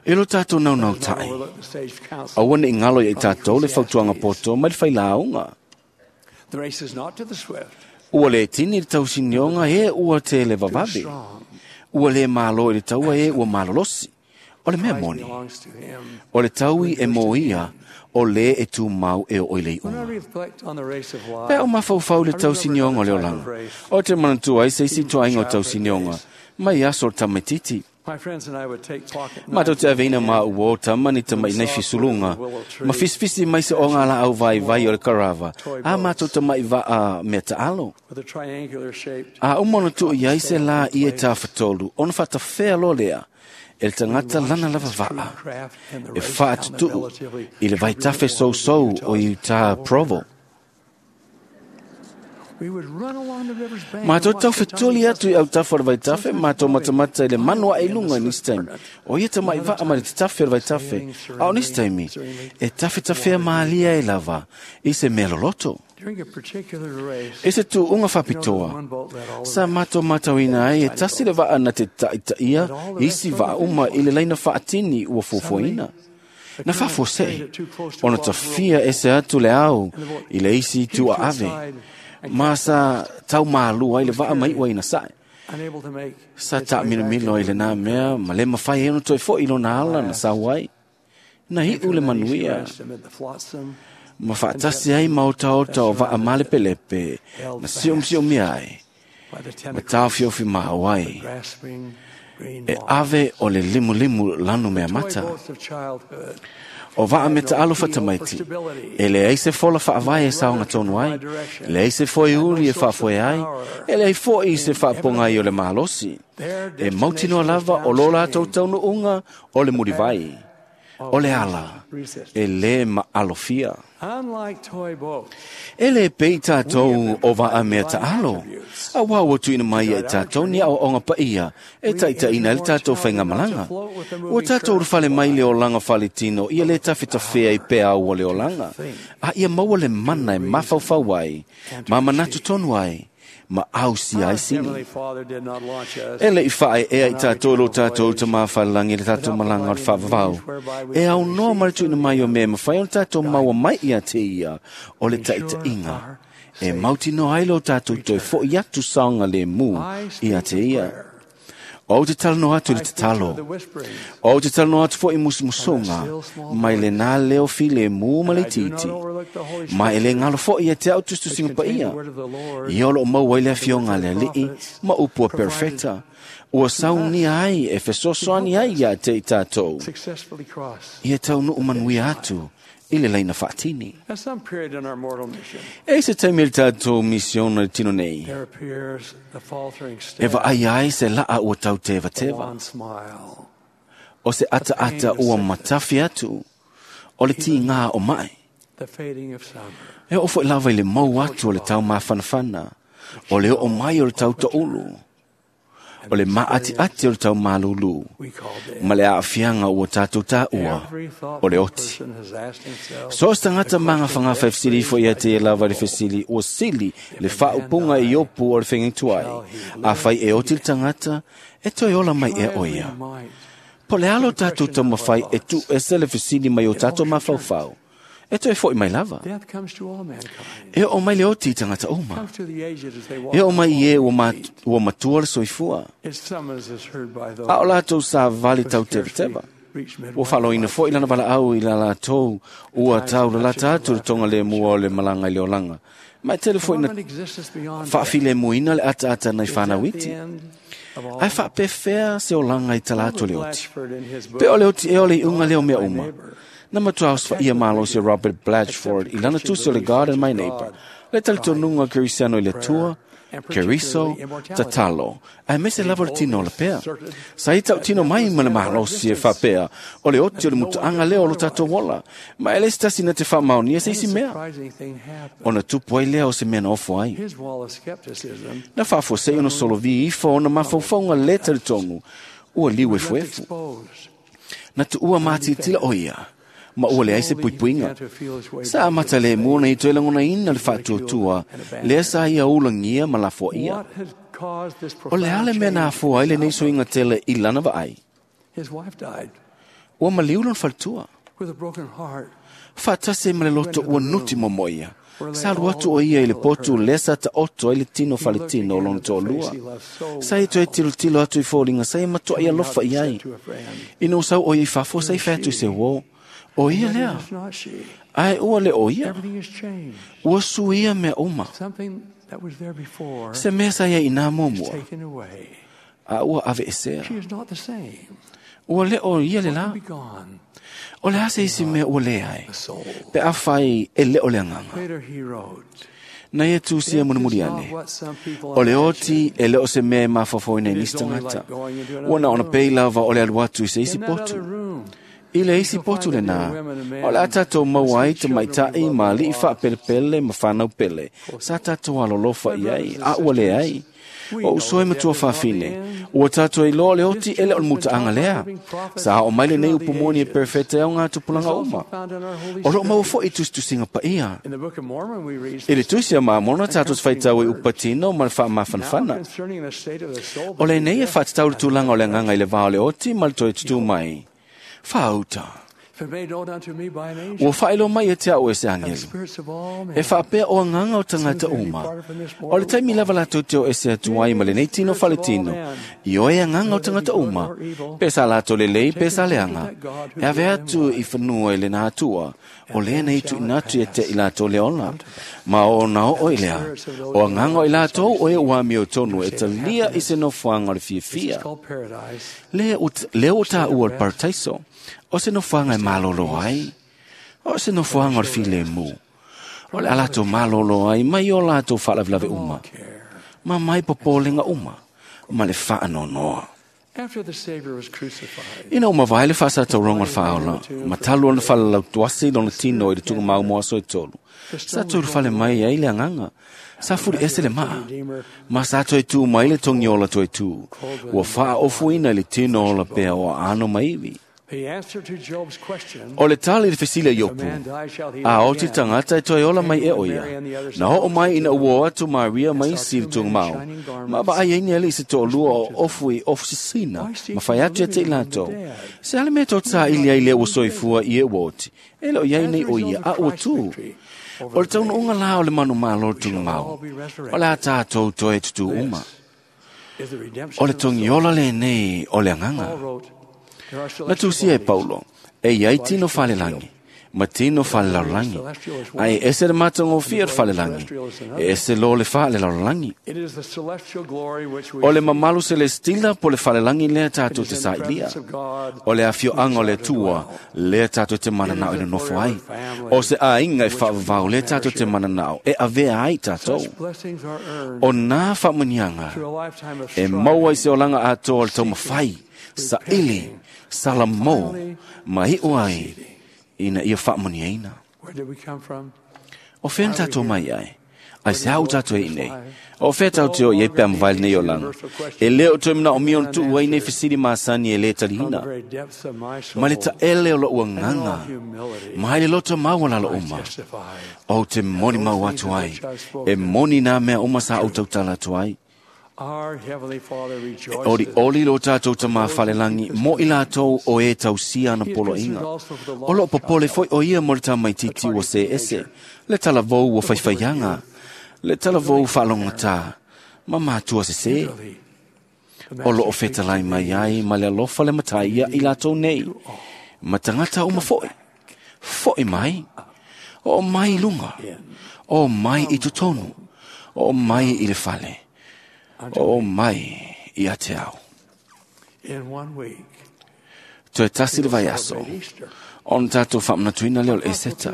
E lo tatou naunautai, aua ne i galo ia i tatou le fautuaga poto mai le failauga. Ua le tini le tausinioga e ua te le vavave. Ua le malo i le taua e ua malolosi. O le mea moni, o le taui e moia, o le e tumau e o i le iuga. Pe o mafaufau le tausinioga o le olaga, o te manatua ai se isi toaiga o tausinioga, mai aso o le tamaititi. Matou te aveina ma ua o tama ni tamaʻi nei fisuluga, ma fisifisi mai se oga laau vaivai o le karava, a matou tamaʻi vaa mea taalo. A uma ona tuu i ai se lā i e tafatolu, ona faatafea loa lea, e le tagata lana lava vaa, e faatutuu i le vaitafe sousou o i utā Provo. Matou taufetuli atu i autafa o le vaitafe, matou matamata i le manu ae i luga i nisi taimi. O ia tamaʻi vaa ma le tatafe o le vaitafe, a o nisi taimi, e tafetafea malia ai lava i se mea loloto. I se tuuga faapitoa, sa matou matauina ai e tasi le vaa na te taʻitaʻia isi vaa uma i le laina faatini ua fuafuaina. Na faafuasei, ona tafia ese atu le ao i le isi itu aave, ma sa taumalua ai le vaa mai ua ina sae. Sa taamilomilo ai lenā mea ma le mafai ai ona toe foʻi lona ala na sau ai. Na iʻu le manuia ma faatasi ai ma otaota o vaa malepelepe na siomisiomia ai, ma taofiofi maau ai, e ave o le limulimu lanu mea mata. O vaa me taalo fatamaiti, e leai se fola faavae e saogatonu ai, leai se foeuli e faafoe ai, e leai foʻi se faapogai o le malosi. E mautinoa lava o lo latou taunuuga o le mulivai, o le ala, e lē maalofia. E lē pei tatou o vaa mea taalo, auā ua tuuina mai ia i tatou ni aoaoga paia e taʻitaʻina ai le tatou faigamalaga. Ua tatou ulufale mai le olaga faletino ia lē tafetafea i peau o le olaga, a ia maua le mana e mafaufau ai, ma manatu tonu ai, ma ausia ai sini. E leʻi faaeʻea i tatou lo tatou tamā falelagi le tatou malaga o le faavavau. E aunoa ma le tuuina mai o mea e mafai ona tatou maua mai ia te ia o le taʻitaʻiga, e mautinoa ai lo tatou toe foʻi atu saoga lemu ia te ia. Ou te talanoa atu i le tatalo. Ou te talanoa atu foʻi musumusuga mai lenā leo filemu ma le itiiti. Ma e lē galo foʻi ia te au tusitusiga paia. Ia o loo maua ai le afioga a le Alii ma upu a perofeta. Ua saunia ai e fesoasoani ai ia te i tatou. Ia taunuu manuia atu i le laina faatini. E se taimi le tatou misiona le tino nei, e vaai ai se laa ua tautevateva, o se ataata ua matafi atu, o le tigā o mae. E oo foʻi lava i le mau atu o le taumafanafana, o le oo mai o le tautoʻulu, o le maatiati o le taumalūlū, ma le aafiaga ua tatou taua o le oti. So o se tagata magafagafa e fesili ifo ia te ia lava le fesili ua sili le faaupuga i Iopu o le fegaituai, afai e oti le tagata, e toe ola mai ea o ia. Po le alo tatou taumafai e tuuese le fesili mai o tatou mafaufau, e toe foʻi mai lava. E oo mai le oti i tagata uma. E oo mai i e ua matua le soifua. A o latou savali tautevateva. Ua faaloina foʻi lana valaau i la latou ua taulalata atu le toga lemua o le malaga i le olaga. Ma e tele foi na faafilemuina le ataata nai fanauiti. Ae faapefea se olaga i tala atu o le oti. Pe o le oti ea o le iuga lea o mea uma. Na matua osofa'ia malosi o Robert Blatchford i lana tusi o le God and My Neighbor, le talitonuga o Kerisiano i le Atua, Keriso, tatalo, aemaise lava o le tino o lapea. Sa ia tautino mai ma le malosi e faapea o le oti o le mutaaga lea o lo tatou ola, ma e le se tasi na te faamaonia se isi mea. Ona tupu ai lea o se mea na ofo ai. Na faafuasei ona solovi ifo ona mafaufauga lē talitonu ua liu efuefu. Na tuua matitila o ia, ma ua leai se puipuiga. Sa amata lemu ona i toe lagonaina le faatuatua lea sa ia ulagia ma lafoaia. O le a le mea na afua ai lenei suiga tele i lana vaai? Ua maliu lona faletua. Faatasi ai ma le loto ua nuti momo ia. Sa alu atu o ia i le potu lea sa taoto ai le tino faletino o lona toalua. Sa ia toe tilotilo atu i foliga sa ia matuai alofa i ai. Ina ua sau o ia i fafo sa i fai atu i se uō. O ia lea. Ae ua le o ia. Ua suia mea uma. Se mea sa ia i nā muamua. A ua aveesea. Ua le o ia le la. O le a se isi mea ua leai. Pe afai e le o le agaga. Na ia tusia mulimuli ane. O le oti e le o se mea e mafaufauina i nisi tagata. Ua na ona pei lava o le alu atu i se isi potu. I le isi potu lenā, o le a tatou maua ai tamaita'i ma ali'i faapelepele ma fanau pele, sa tatou alolofa i ai, a ua leai. O uso e matua faafine, ua tatou iloa le oti e le o le mutaaga lea. Sa oo mai lenei upu moni e perfete ai o ngā tupulaga uma. O loo maua foi i tusitusiga paia. I le tusi a Mamona tatou te faitau i upatino ma le faamafanafana. O lenei e faatatau le tulaga o le agaga i le va o le oti ma le toe tutū mai. Faauta. Ua faailoa mai e te au e se agelu. E faapea o agaga o tagata uma. O le taimi lava latou te o ese atu ai ma lenei tino faletino, i oe agaga o tagata uma, pe sa latou lelei pe sa leaga, e ave atu i fanua i lena atua, o lea nei tuuina atu ia te i latou le ola. Ma o ona oo i lea, o agaga o i latou o e ua amiotonu e talia i se nofoaga o le fiafia. Lea ua taua o le parataiso, o se nofoaga e malolo ai, o se nofoaga o le filemu, o le a latou malolo ai mai o latou faalavelave uma, ma mai popolega uma, ma le faanoanoa. Ina ua mavae le faasatauroga o le faaola, ma talu ona falalautuasi lona tino i le tuugamau mo aso e tolu, sa toe ulufale mai ai le agaga, sa fuliese le maa, ma sa toe tū mai le togiola toe tū, ua faaofuina i le tino o lapea o aano ma ivi. O le tali i le fesili a Iopu, a oti tagata e toe ola mai e o ia. Na oo mai ina ua o atu Maria ma isi i le tuugamau, ma vaai ai ni alii se toalua o ofu i ofu sisina, ma fai atu ia te i latou. Se ale mea tō tāili ai lea ua soifua i e ua oti, e le o iai nei o ia, a ua tū. O le taunuuga la o le manumalo o le tuugamau, o le a tātou toe tutū uma. O le togiola lenei o le agaga. Na tusia e Paulo, e iai tino falelagi, ma tino falelaulagi, ae ese le matagofie o le falelagi, e ese lo le falelaulagi. O le mamalu selestila po le falelagi lea tatou te sailia. O le afioaga o le Atua lea tatou te mananao i le nofo ai. O se aiga e faavavau lea tatou te mananao e avea ai tatou. O nā faamanuiaga e maua i se olaga atoa o le taumafai, saili, salamo, ma iu ai ina ia faamanuiaina. O fea na tatou mai ai? Ai se au tatou e i nei. O fea tau te o i ai pe amavae lenei olaga. E le o toe manaomia ona tuu ai nei fesili masani e lē taliina. Ma le taele o lou agaga, ma i le loto maualalo uma. Ou te moni mau atu ai, e moni nā mea uma sa ou tautala atu ai. E ori oli lo tātou tamā falelagi mo i latou o e tausia ana poloaiga. O loo popole foi o ia mo le tamaitiiti ua se ese, le talavou ua faifaiaga, le talavou faalogatā, ma matua sesē. O loo fetalai mai ai ma le alofa le matai ia i latou nei, ma tagata uma foi. Foi mai. Oo mai i luga, oo mai i totonu, oo mai i le fale, oo mai ia te au. Toe tasi le vaiaso, ona tātou faamanatuina lea o le Eseta.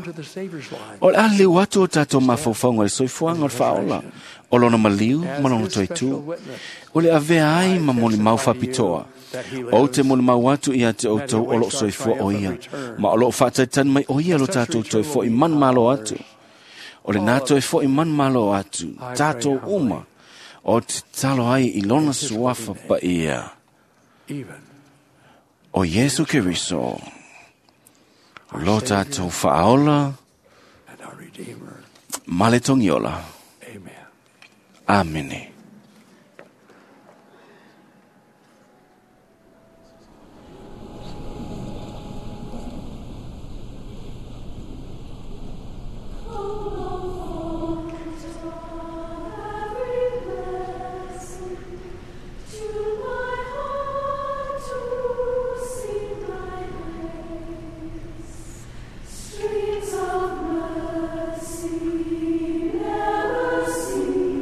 O le a leu atu o tātou mafaufauga i le soifuaga o le faaola, o lona maliu ma lona toetū, o le avea ai ma molimau faapitoa. Ou te molimau atu ia te outou o loo soifua o ia, ma o loo faataitani mai o ia lo tātou toe fo'i manumalo atu. O lena toe fo'i manumalo atu, tātou uma, o te talo ai i lona suafa paia. O Iesu Keriso, lo tātou faaola ma le togiola. Amene. Streams of mercy never ceasing,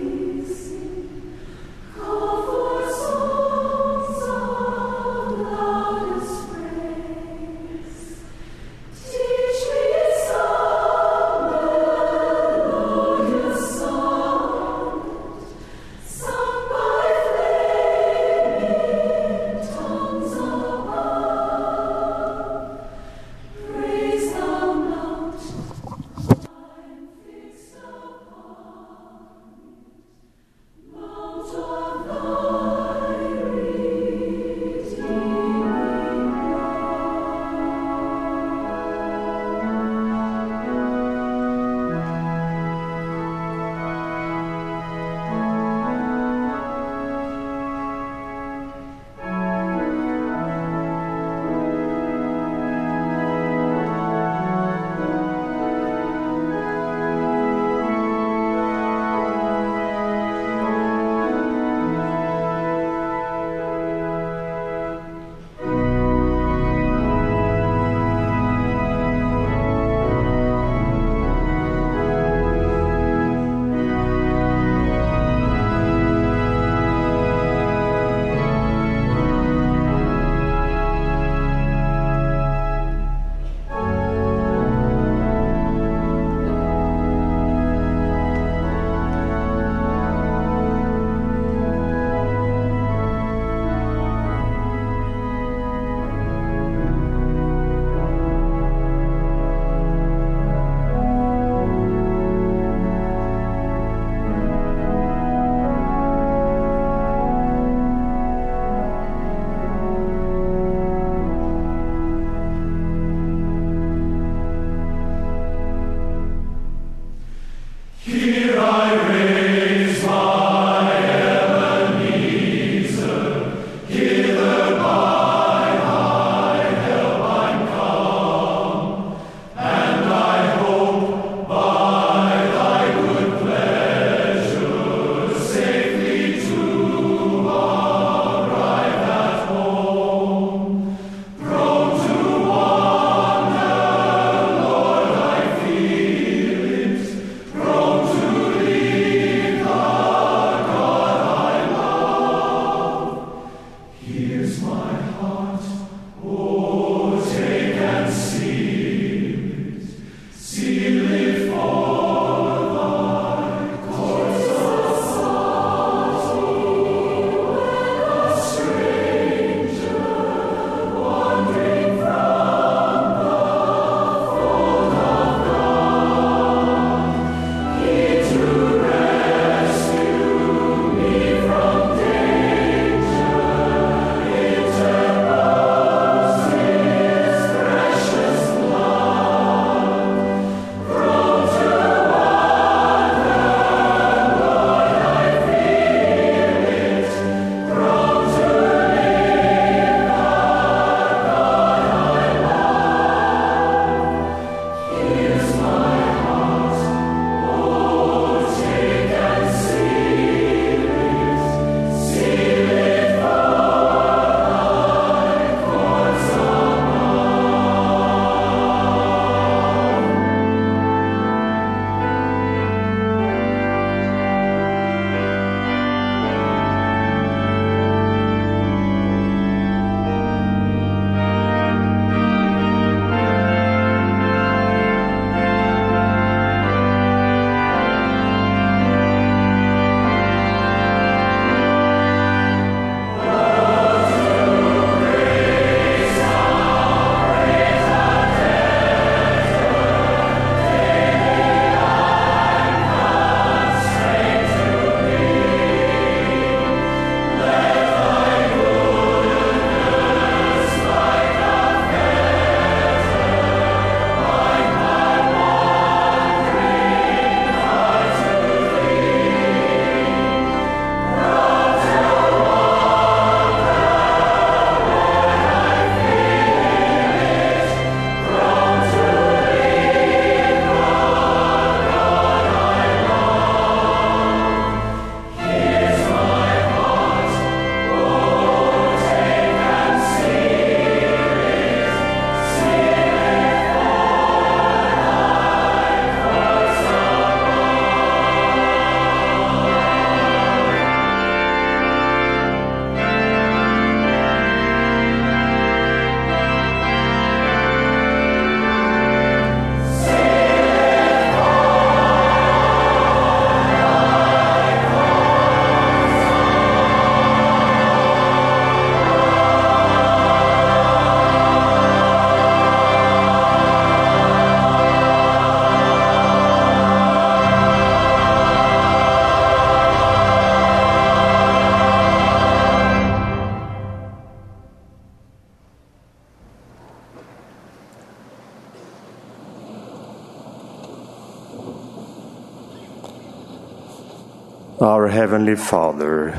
Our Heavenly Father,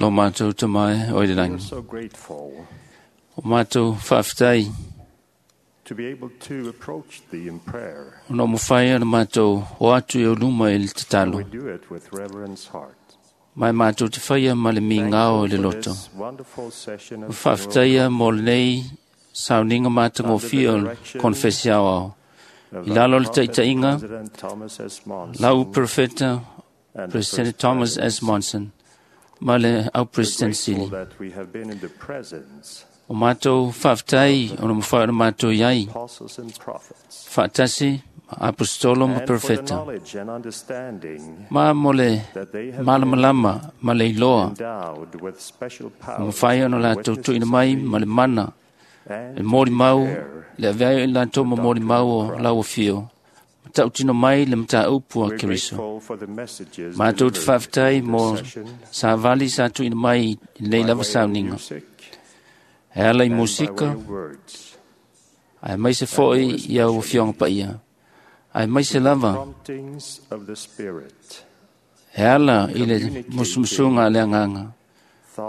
Lo mātou te mai o i le we are rangi. so grateful O mātou whaaftai to be able to approach Thee in prayer. o no mwhai ana mātou o atu i o luma i le tatalo. We do it with reverence heart. Mai mātou te whaia ma le mi ngao i le For loto. this wonderful session O of whaaftaia mō lenei sauninga mātangōwhia o le konfesi ao ao. of I lalo our le prophet, taitainga, President Thomas S. Monson, lau profeta and the President First Thomas S. Monson, ma le au We're President grateful Sili. that we have been in the presence O mātou whaaftai o no mwhai o mātou iai, apostles and prophets, whaatasi, apostolo ma and for the profeta. knowledge and understanding Ma mo le that they have malamalama ma le iloa, endowed with special o powers mwhai ono lātou tuina mai ma le mana, and le mōri mau, le aveai i lātou ma mōri mau o lau whio. Ma tautino mai le mata upu a We're Keriso. grateful for the messages Mātou te delivered whaaftai in this mō session sa vali sa tuina mai i lei by lava way of sauninga. music E ala i and by way musika, of words, ai mai se foi i au whionga paia. Ai mai se lava, promptings of the Spirit, e ala i le musumusunga a le anganga.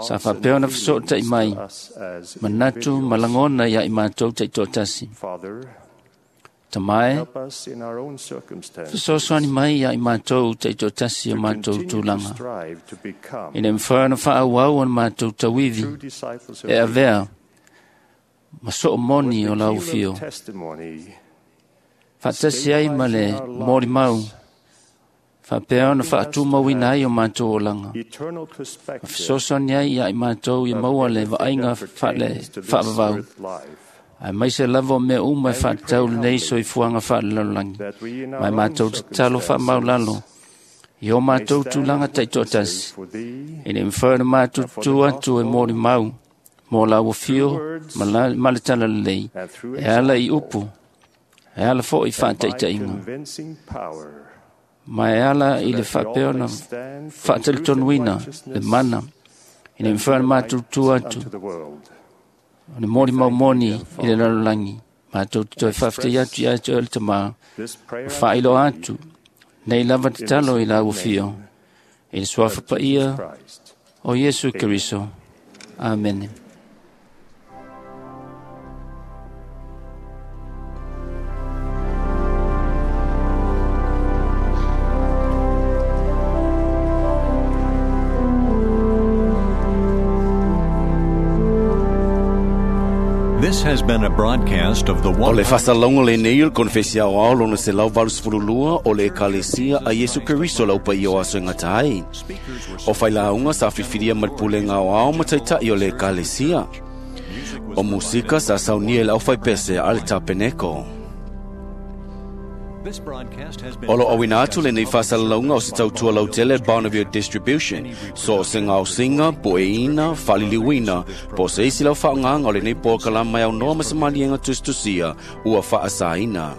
Sa thoughts and whapea na whasotai feelings mai, to us as manatu malangona ia i mātou taitoatasi. Father, Tamae, help us in our own circumstances whasosoani mai ia i mātou taitoatasi o mātou continue to tūlanga. strive to become I ne mwhai na whaawau o mātou tauiwi, true disciples of e avea, ma soo moni o lau thee, whio. testimony, Whaatasi ai ma le mōri mau, whapea na whaatumauina ai o mātou olanga. eternal perspective Whasosoani ai ia i mātou i maua le vaaiga whaale to this whaavavau. earth life, Ai mai se lava o mea uma e whaatau lenei soifuaga faalelalolagi. that we in Mai our own mātou te talo whaamaulalo. I o mātou tūlanga taitoatasi. for thee I ne mwhai na mātou tū atu e mōri mau, mō lau whio, ma la- ma le tala lelei. and through E ala i upu, e ala fo i by whaataitaiga. convincing power Ma e ala i le that we all whapea may na stand for truth and whaatalitonuina le mana. I ne mwhai na mātou tū atu, unto the world. o ne mōri mau moni i le lalolagi. Mātou te toe whawhitai atu i atu le tamā. This prayer Whailo atu, nei lava te talo i lau whio. I le suafa paia Christ. o Iesu Keriso. Amen. This has been a broadcast of the O le faasalaga lenei o le konefesi aoao lona selau valusefululua o le Ekalesia a Iesu Keriso lau paia o aso e gata ai. O failauga sa filifilia ma le pulega aoao ma taita'i o le Ekalesia. O musika sa saunia i le aufaipese a le tapeneko. This broadcast has been O lo awina atu lenei faasalalauga o se tautua lautele Bonneville Distribution, so o se gaosiga, poeina, faaliliuina, po o se isi lau faaaogāga o lenei polokalama e aunoa ma se maliega tusitusia ua faasaina.